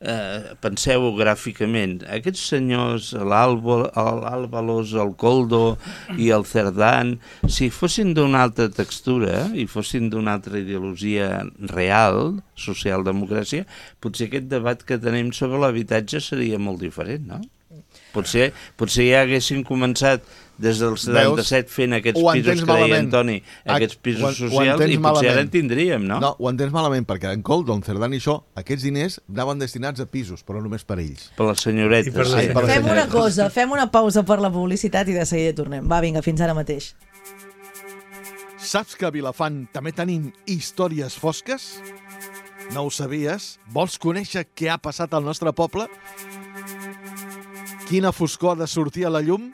eh, penseu gràficament, aquests senyors, l'Alba- l'Álvalos, el Coldo i el Cerdán, si fossin d'una altra textura i fossin d'una altra ideologia real, socialdemocràcia, potser aquest debat que tenim sobre l'habitatge seria molt diferent, no? Potser, potser ja haguessin començat des del setanta-set fent aquests Ho pisos entens que deia malament. Antoni, Ah, aquests ho en- pisos ho socials, entens i potser ara malament. en tindríem, no? No, ho entens malament, perquè en Coldo, en Cerdán i això, aquests diners anaven destinats a pisos, però només per ells. Per les senyoretes. I per les sí. per les Fem una senyoretes. cosa, fem una pausa per la publicitat i de seguida tornem. Va, vinga, fins ara mateix. Saps que a Vilafant també tenim històries fosques? No ho sabies? Vols conèixer què ha passat al nostre poble? Quina foscor ha de sortir a la llum?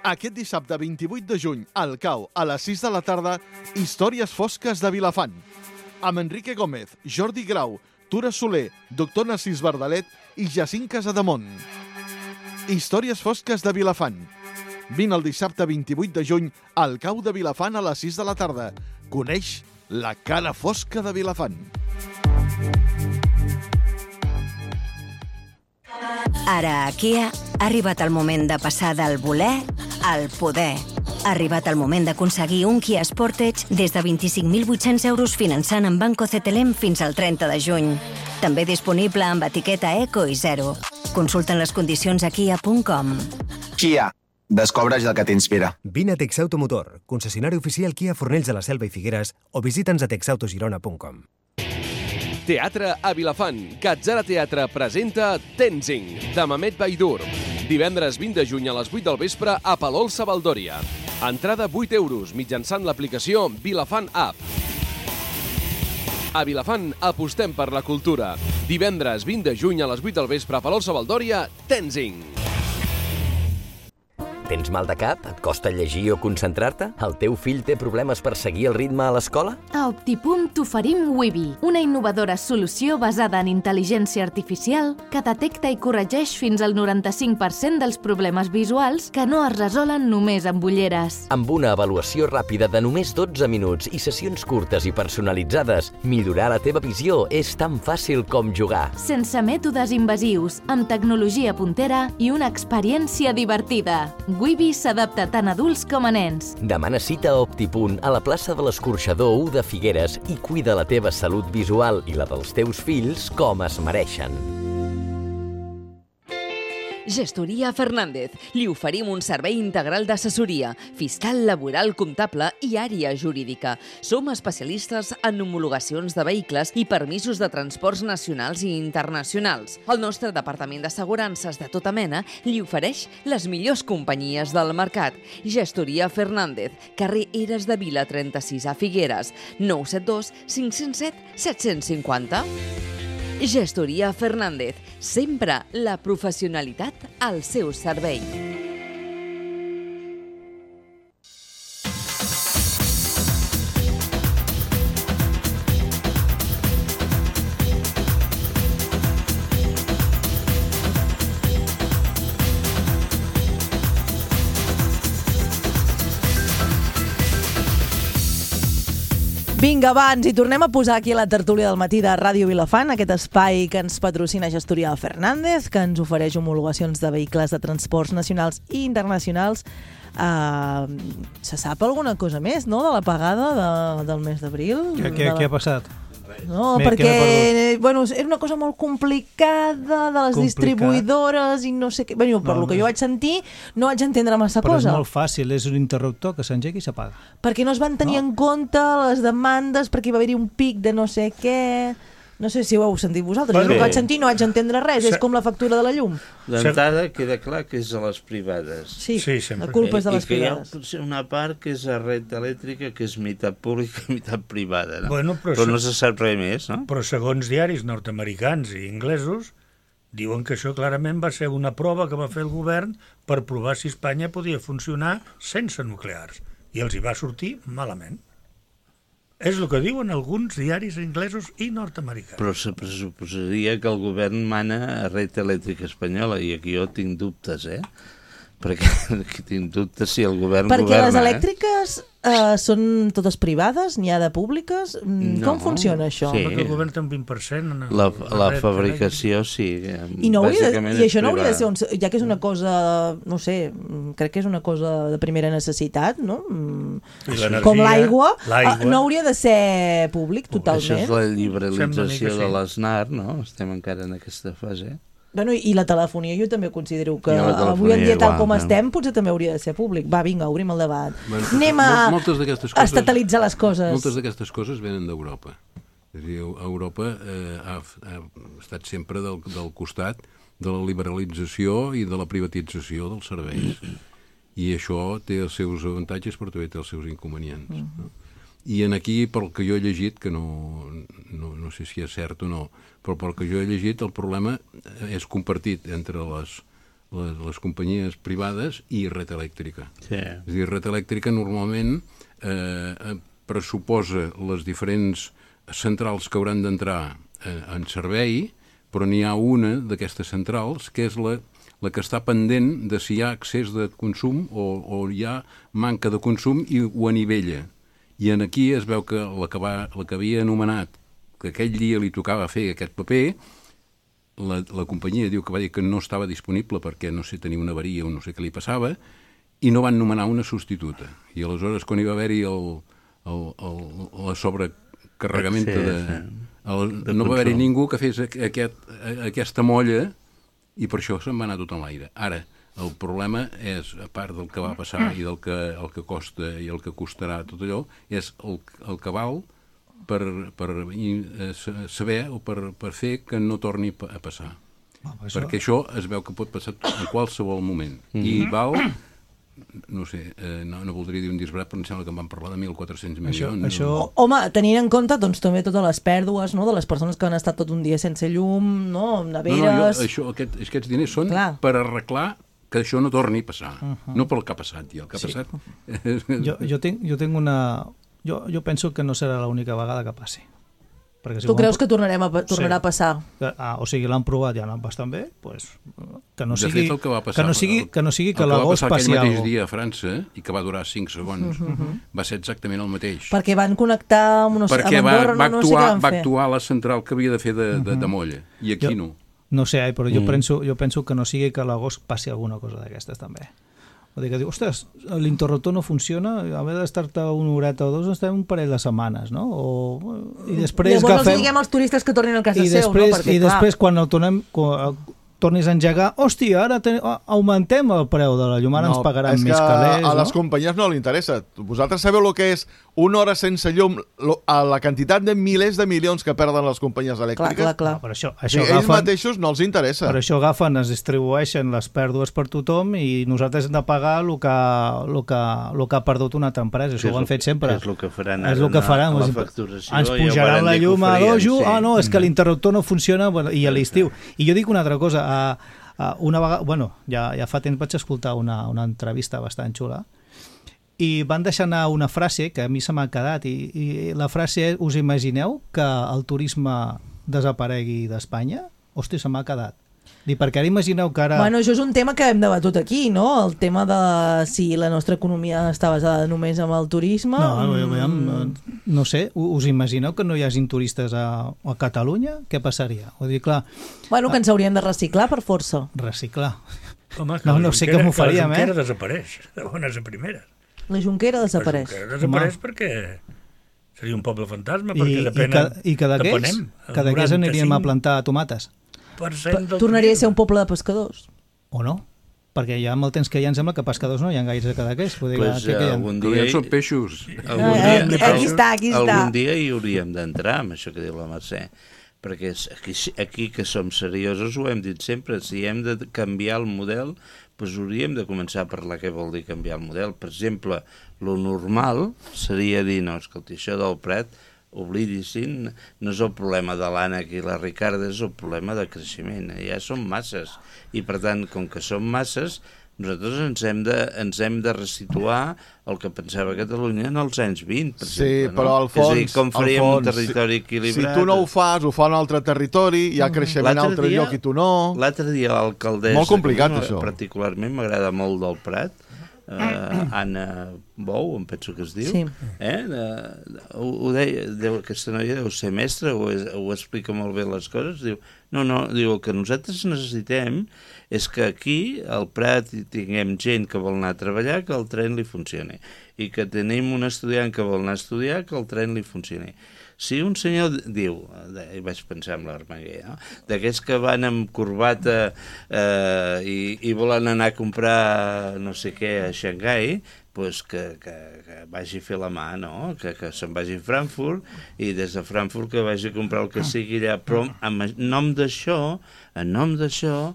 Aquest dissabte vint-i-vuit de juny, al Cau, a les sis de la tarda, Històries fosques de Vilafant. Amb Enrique Gómez, Jordi Grau, Tura Soler, doctor Narcís Bardalet i Jacint Casademont. Històries fosques de Vilafant. Vine el dissabte vint-i-vuit de juny al Cau de Vilafant a les sis de la tarda. Coneix la cara fosca de Vilafant. Ara a Kia ha arribat el moment de passar del voler al poder. Ha arribat el moment d'aconseguir un Kia Sportage des de vint-i-cinc mil vuit-cents euros finançant en Banco C T L M fins al trenta de juny. També disponible amb etiqueta Eco i Zero. Consulten les condicions a kia punt com. Kia. Descobreix el que t'inspira. Vine a Texautomotor, concessionari oficial Kia Fornells de la Selva i Figueres, o visita'ns a texautogirona punt com. Teatre a Vilafant. Catzara Teatre presenta Tenzing, de Mamet Baidur. Divendres vint de juny a les vuit del vespre a Palol Sabaldòria. Entrada vuit euros mitjançant l'aplicació Vilafant App. A Vilafant apostem per la cultura. Divendres vint de juny a les vuit del vespre a Palol Sabaldòria, Tenzing. Tens mal de cap? Et costa llegir o concentrar-te? El teu fill té problemes per seguir el ritme a l'escola? A Optipunt t'oferim Wibi, una innovadora solució basada en intel·ligència artificial que detecta i corregeix fins al noranta-cinc per cent dels problemes visuals que no es resolen només amb ulleres. Amb una avaluació ràpida de només dotze minuts i sessions curtes i personalitzades, millorar la teva visió és tan fàcil com jugar. Sense mètodes invasius, amb tecnologia puntera i una experiència divertida. Wibi s'adapta tant a adults com a nens. Demana cita a Optipunt a la plaça de l'Escorxador u de Figueres i cuida la teva salut visual i la dels teus fills com es mereixen. Gestoria Fernández. Li oferim un servei integral d'assessoria, fiscal, laboral, comptable i àrea jurídica. Som especialistes en homologacions de vehicles i permisos de transports nacionals i internacionals. El nostre departament d'assegurances de tota mena li ofereix les millors companyies del mercat. Gestoria Fernández, carrer Eres de Vila trenta-sis a Figueres, nou set dos cinc zero set set cinc zero. Gestoria Fernández, sempre la professionalitat al seu servei. Vinga, va, ens hi tornem a posar aquí a la tertúlia del matí de Ràdio Vilafant, aquest espai que ens patrocina Gestoria Fernández, que ens ofereix homologacions de vehicles de transports nacionals i internacionals. Uh, se sap alguna cosa més, no?, de la pagada de, del mes d'abril? Què, què, la... què ha passat? No, M'he- perquè que bueno, era una cosa molt complicada de les Complicat. distribuïdores i no sé què. Bueno, per No, lo que no. jo vaig sentir, no vaig entendre massa Però és cosa. molt fàcil, és un interruptor que s'engega i s'apaga. Perquè no es van tenir No. en compte les demandes, perquè va haver-hi un pic de no sé què... No sé si ho heu sentit vosaltres. Bueno. Jo el que vaig sentir no vaig entendre res. És com la factura de la llum. D'entrada queda clar que és a les privades. Sí, Sí, sempre. la culpa és de les I que hi ha privades. potser una part que és a red elèctrica, que és meitat pública i meitat privada. No? Bueno, però però no se- se sap res més, no? Però segons diaris nord-americans i inglesos, diuen que això clarament va ser una prova que va fer el govern per provar si Espanya podia funcionar sense nuclears. I els hi va sortir malament. És el que diuen alguns diaris inglesos i nord-americans. Però se pressuposaria que el govern mana a red elèctrica espanyola, i aquí jo tinc dubtes, eh? Perquè aquí tinc dubtes si el govern Perquè governa. les elèctriques eh, són totes privades, n'hi ha de públiques. Mm, No, Com funciona això? sí. Perquè el govern té un vint per cent. En el, La, la red fabricació, sí. I, no hauria de, bàsicament I és això no hauria de privada. ser, un, ja que és una cosa, no sé, mm, crec que és una cosa de primera necessitat, no? Mm, I l'energia, Com l'aigua, l'aigua. eh, no hauria de ser públic Això totalment. és la Sembla a mi liberalització que sí. de l'ESNAR, no? Estem encara en aquesta fase. Bueno, i la telefonia jo també considero que I la telefonia avui en dia, tal igual, com no? estem, potser també hauria de ser públic. Va, vinga, obrim el debat. Bueno, Anem a mol- moltes d'aquestes coses- estatalitzar les coses. Moltes d'aquestes coses venen d'Europa. És a dir, Europa eh, ha, ha estat sempre del, del costat de la liberalització i de la privatització dels serveis. I això té els seus avantatges, però també té els seus inconvenients. No? I en aquí, pel que jo he llegit, que no, no, no sé si és cert o no, però pel que jo he llegit, el problema és compartit entre les, les, les companyies privades i Red Elèctrica. Sí. És a dir, Red Elèctrica normalment eh, pressuposa les diferents centrals que hauran d'entrar eh, en servei, però n'hi ha una d'aquestes centrals que és la, la que està pendent de si hi ha excés de consum o, o hi ha manca de consum i ho anivella. I en aquí es veu que la que, va, la que havia anomenat que aquell dia li tocava fer aquest paper, la, la companyia diu que va dir que no estava disponible perquè no sé, tenia una avaria o no sé què li passava, i no van nomenar una substituta. I aleshores, quan hi va haver-hi el, el, el, la sobrecarregament sí, de... sí. El, de no va haver-hi control. ningú que fes aquest, aquesta molla i per això se'n va anar tot en l'aire. Ara, el problema és, a part del que va passar i del que, el que costa i el que costarà tot allò, és el, el que val per, per saber o per, per fer que no torni a passar. Ah, això... Perquè això es veu que pot passar en qualsevol moment. Mm-hmm. I val... no sé, eh, no, no voldria dir un disbarat, però em sembla que en van parlar de mil quatre-cents milions. Això... O, home, tenint en compte doncs, també totes les pèrdues, no?, de les persones que han estat tot un dia sense llum, no?, neveres... No, no, jo, això, aquest, aquests diners són Clar. per arreglar que això no torni a passar. Uh -huh. No pel que ha passat, ja. El que ha sí. passat... jo, jo, tinc, jo tinc una... Jo, jo penso que no serà l'única vegada que passi. Perquè si tu creus han... que tornarem a, tornarà sí. a passar? Ah, o sigui, l'han provat i han anat bastant bé, pues, que no de sigui, fet, el que va passar, que no sigui, que, no sigui que, que l'agost passi alguna cosa. El que va passar aquell mateix algo. dia a França, i que va durar cinc segons, uh -huh. va ser exactament el mateix. Perquè van connectar amb, no sé, Perquè amb va, Andorra, va, no, actuar, no sé què van va fer. actuar la central que havia de fer de, de, de molla, i aquí jo, no. No sé, però jo, Mm. penso, jo penso que no sigui que a l'agost passi alguna cosa d'aquestes també. Vull dir que diu, ostres, l'interruptor no funciona, a haver d'estar-te una horeta o dos, estem un parell de setmanes, no? O, I després Llavors agafem... els diguem als turistes que tornin a casa I seu, després, no? Perquè, I clar... després, quan el tornem... Quan, tornis a engegar, hòstia, ara ten... augmentem el preu de la llum, ara no, ens pagaran és més que calés, a les no? companyies no li interessa. Vosaltres sabeu el que és una hora sense llum, lo, a la quantitat de milers de milions que perden les companyies elèctriques? Clar, clar, clar. No, però això, Sí, això ells agafen, mateixos no els interessa. per això agafen, es distribueixen les pèrdues per tothom i nosaltres hem de pagar el que, el que, el que ha perdut una altra empresa. Això ho han fet sempre. És el que faran És el que faran. a la Ens facturació. Ens pujaran la llum a dojo. Ah, no, és que l'interruptor no funciona, bueno, i a l'estiu. I jo dic una altra cosa. A, a una vegada, bueno, ja, ja fa temps vaig escoltar una, una entrevista bastant xula i van deixar anar una frase que a mi se m'ha quedat i, i la frase és, us imagineu que el turisme desaparegui d'Espanya? Hòstia, se m'ha quedat. Dic, perquè ara imagineu que ara... Bueno, això és un tema que hem debatut aquí, no? El tema de si la nostra economia està basada només en el turisme. No, no, mm. no sé, us imagineu que no hi hagin turistes a, a Catalunya? Què passaria? Vull dir, clar... Bueno, que ens hauríem de reciclar per força. Reciclar. Home, no, no sé com ho faríem, eh? La Junquera eh? desapareix, de bones a primeres. La Junquera desapareix. La Junquera desapareix Home. perquè seria un poble fantasma, I, perquè depèn i que d'aquells que d'aquells aniríem a plantar tomates. Tornaria a ser un poble de pescadors. O no? Perquè ja amb el temps que hi ha em sembla que pescadors no hi ha gaires de d'aquells. Pues, que, que algun dia... Són peixos. Algun dia, eh, aquí està, aquí està. Algun dia hi hauríem d'entrar amb això que diu la Mercè. Perquè aquí, aquí que som seriosos ho hem dit sempre, si hem de canviar el model, doncs hauríem de començar a parlar què vol dir canviar el model. Per exemple, lo normal seria dir, no, escolta, això del Prat, oblidissin, no és el problema de l'Ànec i la Ricarda, és el problema de creixement. Ja som masses. I per tant, com que som masses, nosaltres ens hem de, ens hem de resituar el que pensava Catalunya en els anys vint, per sí, exemple. Però al fons, és a dir, com faríem fons, un territori si, equilibrat? Si tu no ho fas, ho fa un altre territori, hi ha creixement a un altre dia, lloc i tu no... L'altre dia l'alcaldessa... Molt complicat, això. Particularment m'agrada molt del Prat, Uh, Anna Bou, em penso que es diu, sí. eh? uh, ho, ho deia, deu, aquesta noia deu ser mestra, ho, ho explica molt bé les coses, diu, no, no, diu, el que nosaltres necessitem és que aquí al Prat tinguem gent que vol anar a treballar, que el tren li funcioni, i que tenim un estudiant que vol anar a estudiar, que el tren li funcioni. Si un senyor diu, i vaig pensar en l'Armenguer, no? D'aquests que van amb corbata eh, i, i volen anar a comprar no sé què a Xangai, pues que, que, que vagi a fer la mà, no? Que, que se'n vagi a Frankfurt i des de Frankfurt que vagi a comprar el que sigui allà. Però en nom d'això, en nom d'això,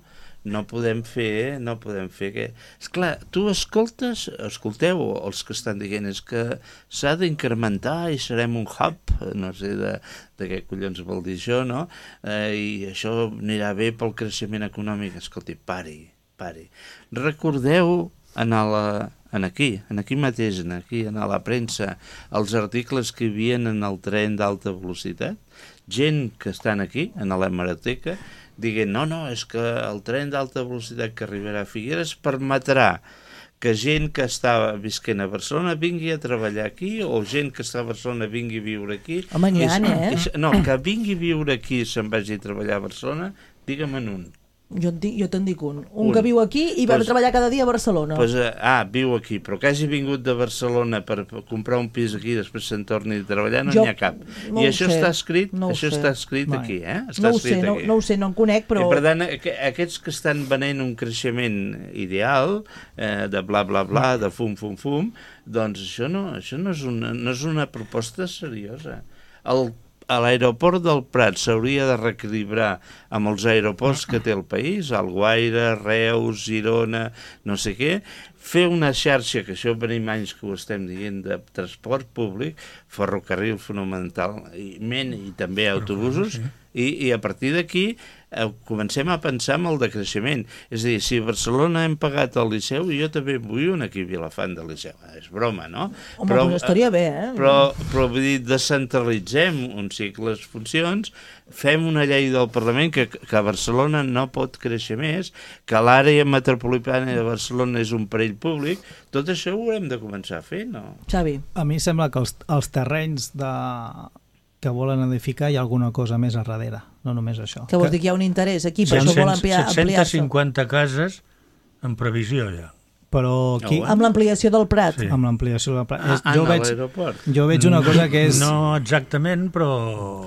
no podem fer, no podem fer que... Esclar, tu escoltes, escolteu, els que estan dient és que s'ha d'incrementar i serem un hub, no sé de, de què collons vol dir això, no? Eh, I això anirà bé pel creixement econòmic. Escolti, pari, pari. Recordeu en la... En aquí, en aquí mateix, en aquí, en la premsa, els articles que hi havia en el tren d'alta velocitat, gent que estan aquí, en l'hemeroteca, dient, no, no, és que el tren d'alta velocitat que arribarà a Figueres permetrà que gent que està visquent a Barcelona vingui a treballar aquí, o gent que està a Barcelona vingui a viure aquí. Home, n'hi ha, eh? És, no, que vingui a viure aquí i se'n vagi a treballar a Barcelona, digue'm en un. Jo, dic, jo te'n dic un. Un, Un. que viu aquí i va Pues- treballar cada dia a Barcelona. Pues, eh, ah, viu aquí, però que hagi vingut de Barcelona per per comprar un pis aquí i després se'n torni a treballar, no Jo n'hi ha cap. no I ho això sé, està escrit, no ho això sé. està escrit Mai. aquí, eh? Està No ho escrit sé, no, aquí. no ho sé, no en conec, però... I per tant, aqu aquests que estan venent un creixement ideal, eh, de bla, bla, bla, de fum, fum, fum, doncs això no, això no, és, una, no és una proposta seriosa. El a l'aeroport del Prat s'hauria de reequilibrar amb els aeroports que té el país, Alguaire, Reus, Girona, no sé què, fer una xarxa, que això venim anys que ho estem dient, de transport públic, ferrocarril fonamentalment i també autobusos, i, i a partir d'aquí eh, comencem a pensar en el decreixement. És a dir, si a Barcelona hem pagat el Liceu, jo també vull un aquí a Vilafant del Liceu. És broma, no? Home, però, doncs estaria bé, eh? Però, però vull dir, descentralitzem un cicle de funcions, fem una llei del Parlament que, que a Barcelona no pot créixer més, que l'àrea metropolitana de Barcelona és un perill públic, tot això ho haurem de començar a fer, no? Xavi. A mi sembla que els, els terrenys de... que volen edificar hi ha alguna cosa més a darrere, no només això. Que vols dir que hi ha un interès aquí, per això vol ampliar- set-cents ampliar-se. cinquanta cases en previsió ja. Però qui... Amb l'ampliació del Prat. Sí. Amb l'ampliació del Prat. Ah, És- jo, en veig, l'aeroport. jo veig una cosa que és... No exactament, però...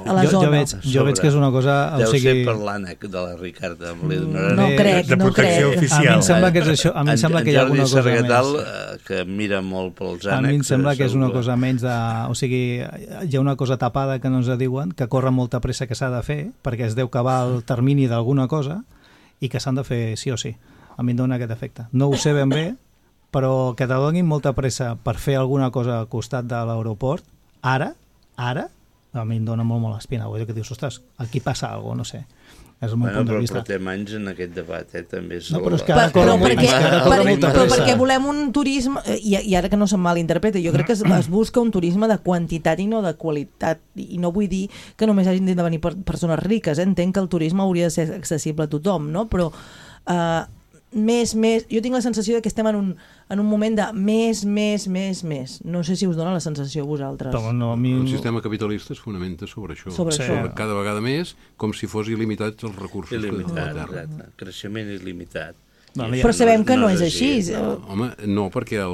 A la jo, zona. jo, veig, jo veig que és una cosa... Deu o sigui... ser per l'ànec de la Ricarda. Li donaré No crec, de no protecció crec. oficial. A mi em sembla que és això, a mi em sembla que hi ha alguna cosa més. més. Eh, que mira molt pels ànecs. A mi em sembla que és una segur. cosa menys de... O sigui, hi ha una cosa tapada que no ens diuen, que corre molta pressa que s'ha de fer, perquè es deu acabar el termini d'alguna cosa, i que s'han de fer sí o sí. A mi em dona aquest efecte. No ho sé ben bé, però que te donin molta pressa per fer alguna cosa al costat de l'aeroport, ara, ara, a mi em dona molt, molt espina. Vull dir que dius, ostres, aquí passa alguna cosa, no sé. És el meu Bueno, punt de però vista. portem anys en aquest debat, eh? També és No, el- però és que Per, ara però, corre molt- perquè, és que ara per, corre molta però pressa. perquè volem un turisme, eh, i, i ara que no se'm malinterpreti, jo crec que es, es busca un turisme de quantitat i no de qualitat, i no vull dir que només hagin de venir per, persones riques, eh? Entenc que el turisme hauria de ser accessible a tothom, no? Però eh, més, més, jo tinc la sensació de que estem en un, en un moment de més, més, més, més. No sé si us dona la sensació a vosaltres. Però no, a mi... El sistema capitalista es fonamenta sobre això. Sobre Sí. això. Cada vegada més, com si fos il·limitats els recursos que tenim a Il·limitat, la Terra. exacte. Creixement il·limitat. Vale, I Però això sabem que no és així, així. no. Home, no, perquè el,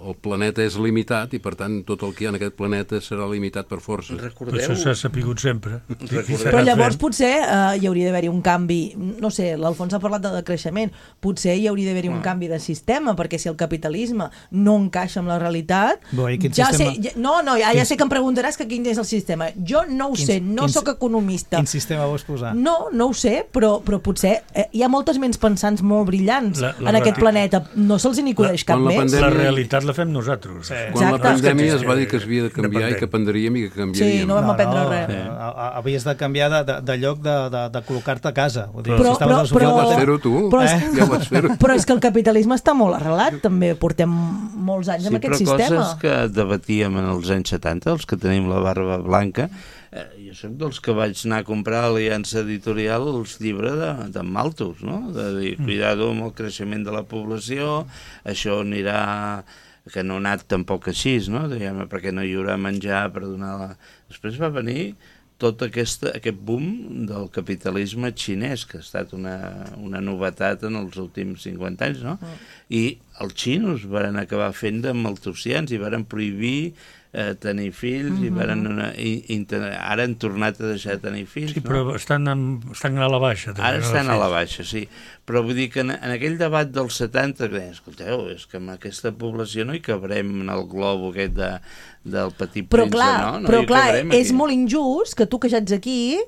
el planeta és limitat i, per tant, tot el que hi ha en aquest planeta serà limitat per força. Recordeu... Això s'ha sapigut sempre. Recordeu- Però llavors potser eh, hi hauria d'haver-hi un canvi, no sé, l'Alfons ha parlat de decreixement, potser hi hauria d'haver-hi un canvi de sistema, perquè si el capitalisme no encaixa amb la realitat, Bo, i quin ja sistema? sé, ja, no, no, ja, ja sé que em preguntaràs que quin és el sistema. Jo no ho Quin- sé, no quin- sóc economista. Quin sistema vols posar? No, no ho sé, però, però potser eh, hi ha moltes ments pensants molt brillants La- la en aquest reali- planeta. No se'ls n'hi acudeix cap quan la més. pandèmia- La realitat la fem nosaltres. Sí. Quan la Exacte. pandèmia es va dir que es havia de canviar i Dependent. que aprendríem i que canviaríem. Sí, no vam aprendre res. eh, a- a- Havies de canviar de, de, de lloc de, de, de col·locar-te a casa. Vull dir, Però- si estaves però- al sofà però- del Ja vas hotel- fer-ho tu, Però és- eh? Ja vas fer-ho. Però és que el capitalisme està molt arrelat, també. Portem molts anys Sí, amb aquest però sistema. coses que debatíem en els anys setanta, els que tenim la barba blanca, eh, jo soc dels que vaig anar a comprar a Aliança Editorial els llibres de, de Malthus, no? De dir, cuidado amb el creixement de la població, això anirà que no ha anat tampoc així, no? Diguem, perquè no hi haurà menjar per donar la... Després va venir tot aquesta, aquest boom del capitalisme xinès, que ha estat una, una novetat en els últims cinquanta anys, no? I els xinos van acabar fent de maltusians i van prohibir eh, tenir fills, i varen una, i, i, ara han tornat a deixar de tenir fills. Sí, no? però estan, en, estan a la baixa. També, Ara no, estan de a la fet. baixa, sí. Però vull dir que en, en aquell debat dels setanta, que deien, escolteu, és que amb aquesta població no hi cabrem en el globo aquest de, del petit Però príncep, clar, no? no però hi clar cabrem és aquí. molt injust que tu que ja ets aquí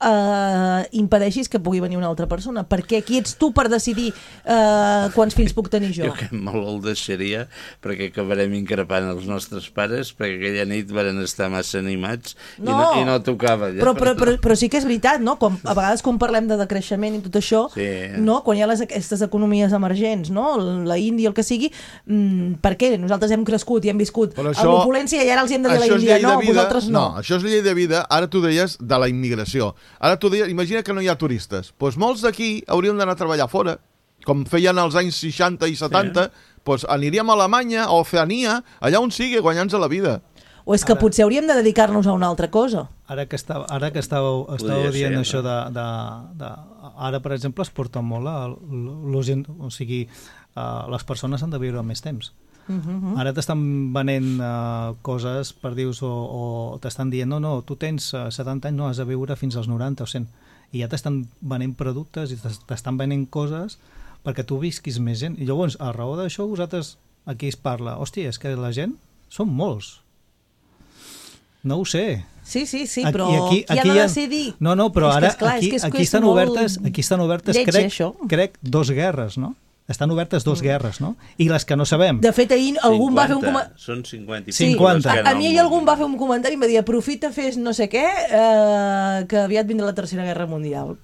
eh, impedeixis que pugui venir una altra persona, perquè qui ets tu per decidir eh, quants fills puc tenir jo? Jo que molt el deixaria, perquè acabarem increpant els nostres pares, perquè aquella nit van estar massa animats i, no, i no tocava. Ja. Però, però, però, però sí que és veritat, no? Com, a vegades quan parlem de decreixement i tot això, Sí. no? Quan hi ha les, aquestes economies emergents, no? La Índia, el que sigui, mmm, per què? Nosaltres hem crescut i hem viscut Però a això- l'opulència i ara els hem de dir a la Això és Índia, llei no, de vida. vosaltres no. No, això és llei de vida. Ara tu deies de la immigració. Ara tu deies, imagina que no hi ha turistes. Doncs molts d'aquí hauríem d'anar a treballar fora, com feien als anys seixanta i setanta, doncs aniríem a Alemanya, a Oceania, allà on sigui, guanyant-se la vida. O és que ara... potser hauríem de dedicar-nos a una altra cosa. Ara que estàveu, ara que estàveu, estàveu Podria dient ser, això no? de, de, de ara, per exemple, es porta molt a, la gent, o sigui, uh, les persones han de viure més temps. Uh-huh. Ara t'estan venent uh, coses per dius, o, o t'estan dient, no, no, tu tens uh, setanta anys, no, has de viure fins als noranta o cent. I ja t'estan venent productes i t'estan venent coses perquè tu visquis més gent. I llavors, a raó d'això, vosaltres, aquí es parla, hòstia, és que la gent són molts. No ho sé. Sí, sí, sí, però aquí, qui aquí ha de ha... decidir? No, no, però és ara que, esclar, aquí, és que és, aquí, estan obertes, aquí estan obertes, lleig, crec, això. crec, dos guerres, no? Estan obertes dos guerres, no? I les que no sabem. De fet, ahir algun va fer un comentari... Són cinquanta. Sí, cinquanta. A, a mi ahir algun va fer un comentari i em va dir, aprofita, fes no sé què, eh, que aviat vindrà la Tercera Guerra Mundial.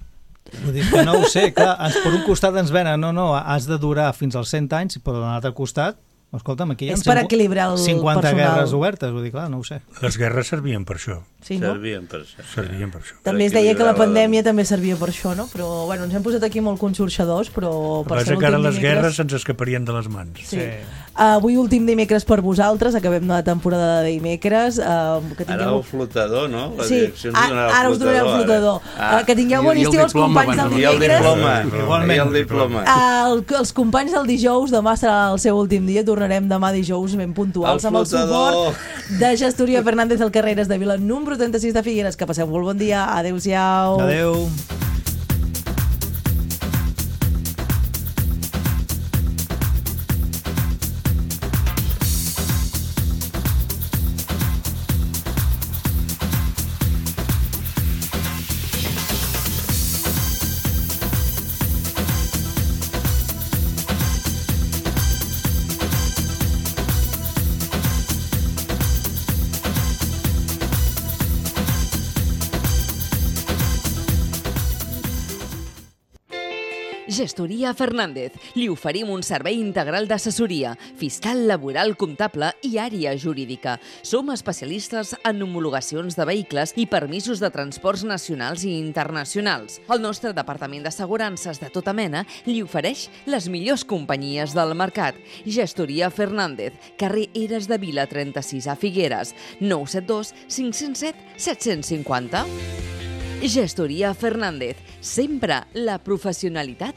Vull dir que no ho sé, clar, ens, per un costat ens venen, no, no, has de durar fins als cent anys, però de l'altre costat, escolta'm, aquí hi ha és per equilibrar el cinquanta personal. guerres obertes, vull dir, clar, no ho sé. Les guerres servien per això. Sí, no? Servien per això. Servien per això. També es deia que la pandèmia també servia per això, no? Però, bueno, ens hem posat aquí molt conxorxadors, però... Per ser que ara les guerres ens escaparien de les mans. Sí. sí. Uh, avui últim dimecres per vosaltres, acabem la temporada de dimecres. Uh, que tingueu... Ara el flotador, no? La sí, ara, ara us donaré el flotador. Ah. Uh, que tingueu bon estiu els companys del dimecres. I el diploma. I el diploma. Uh, el, els companys del dijous, demà serà el seu últim dia, tornarem demà dijous ben puntuals amb el suport de Gestoria Fernández al Carreres de Vila, número trenta-sis de Figueres. Que passeu molt bon dia. Adéu-siau. Adéu. Gestoria Fernández. Li oferim un servei integral d'assessoria, fiscal, laboral, comptable i àrea jurídica. Som especialistes en homologacions de vehicles i permisos de transports nacionals i internacionals. El nostre departament d'assegurances de tota mena li ofereix les millors companyies del mercat. Gestoria Fernández, carrer Eres de Vila trenta-sis a Figueres, nou set dos cinc zero set set cinc zero. Gestoria Fernández, sempre la professionalitat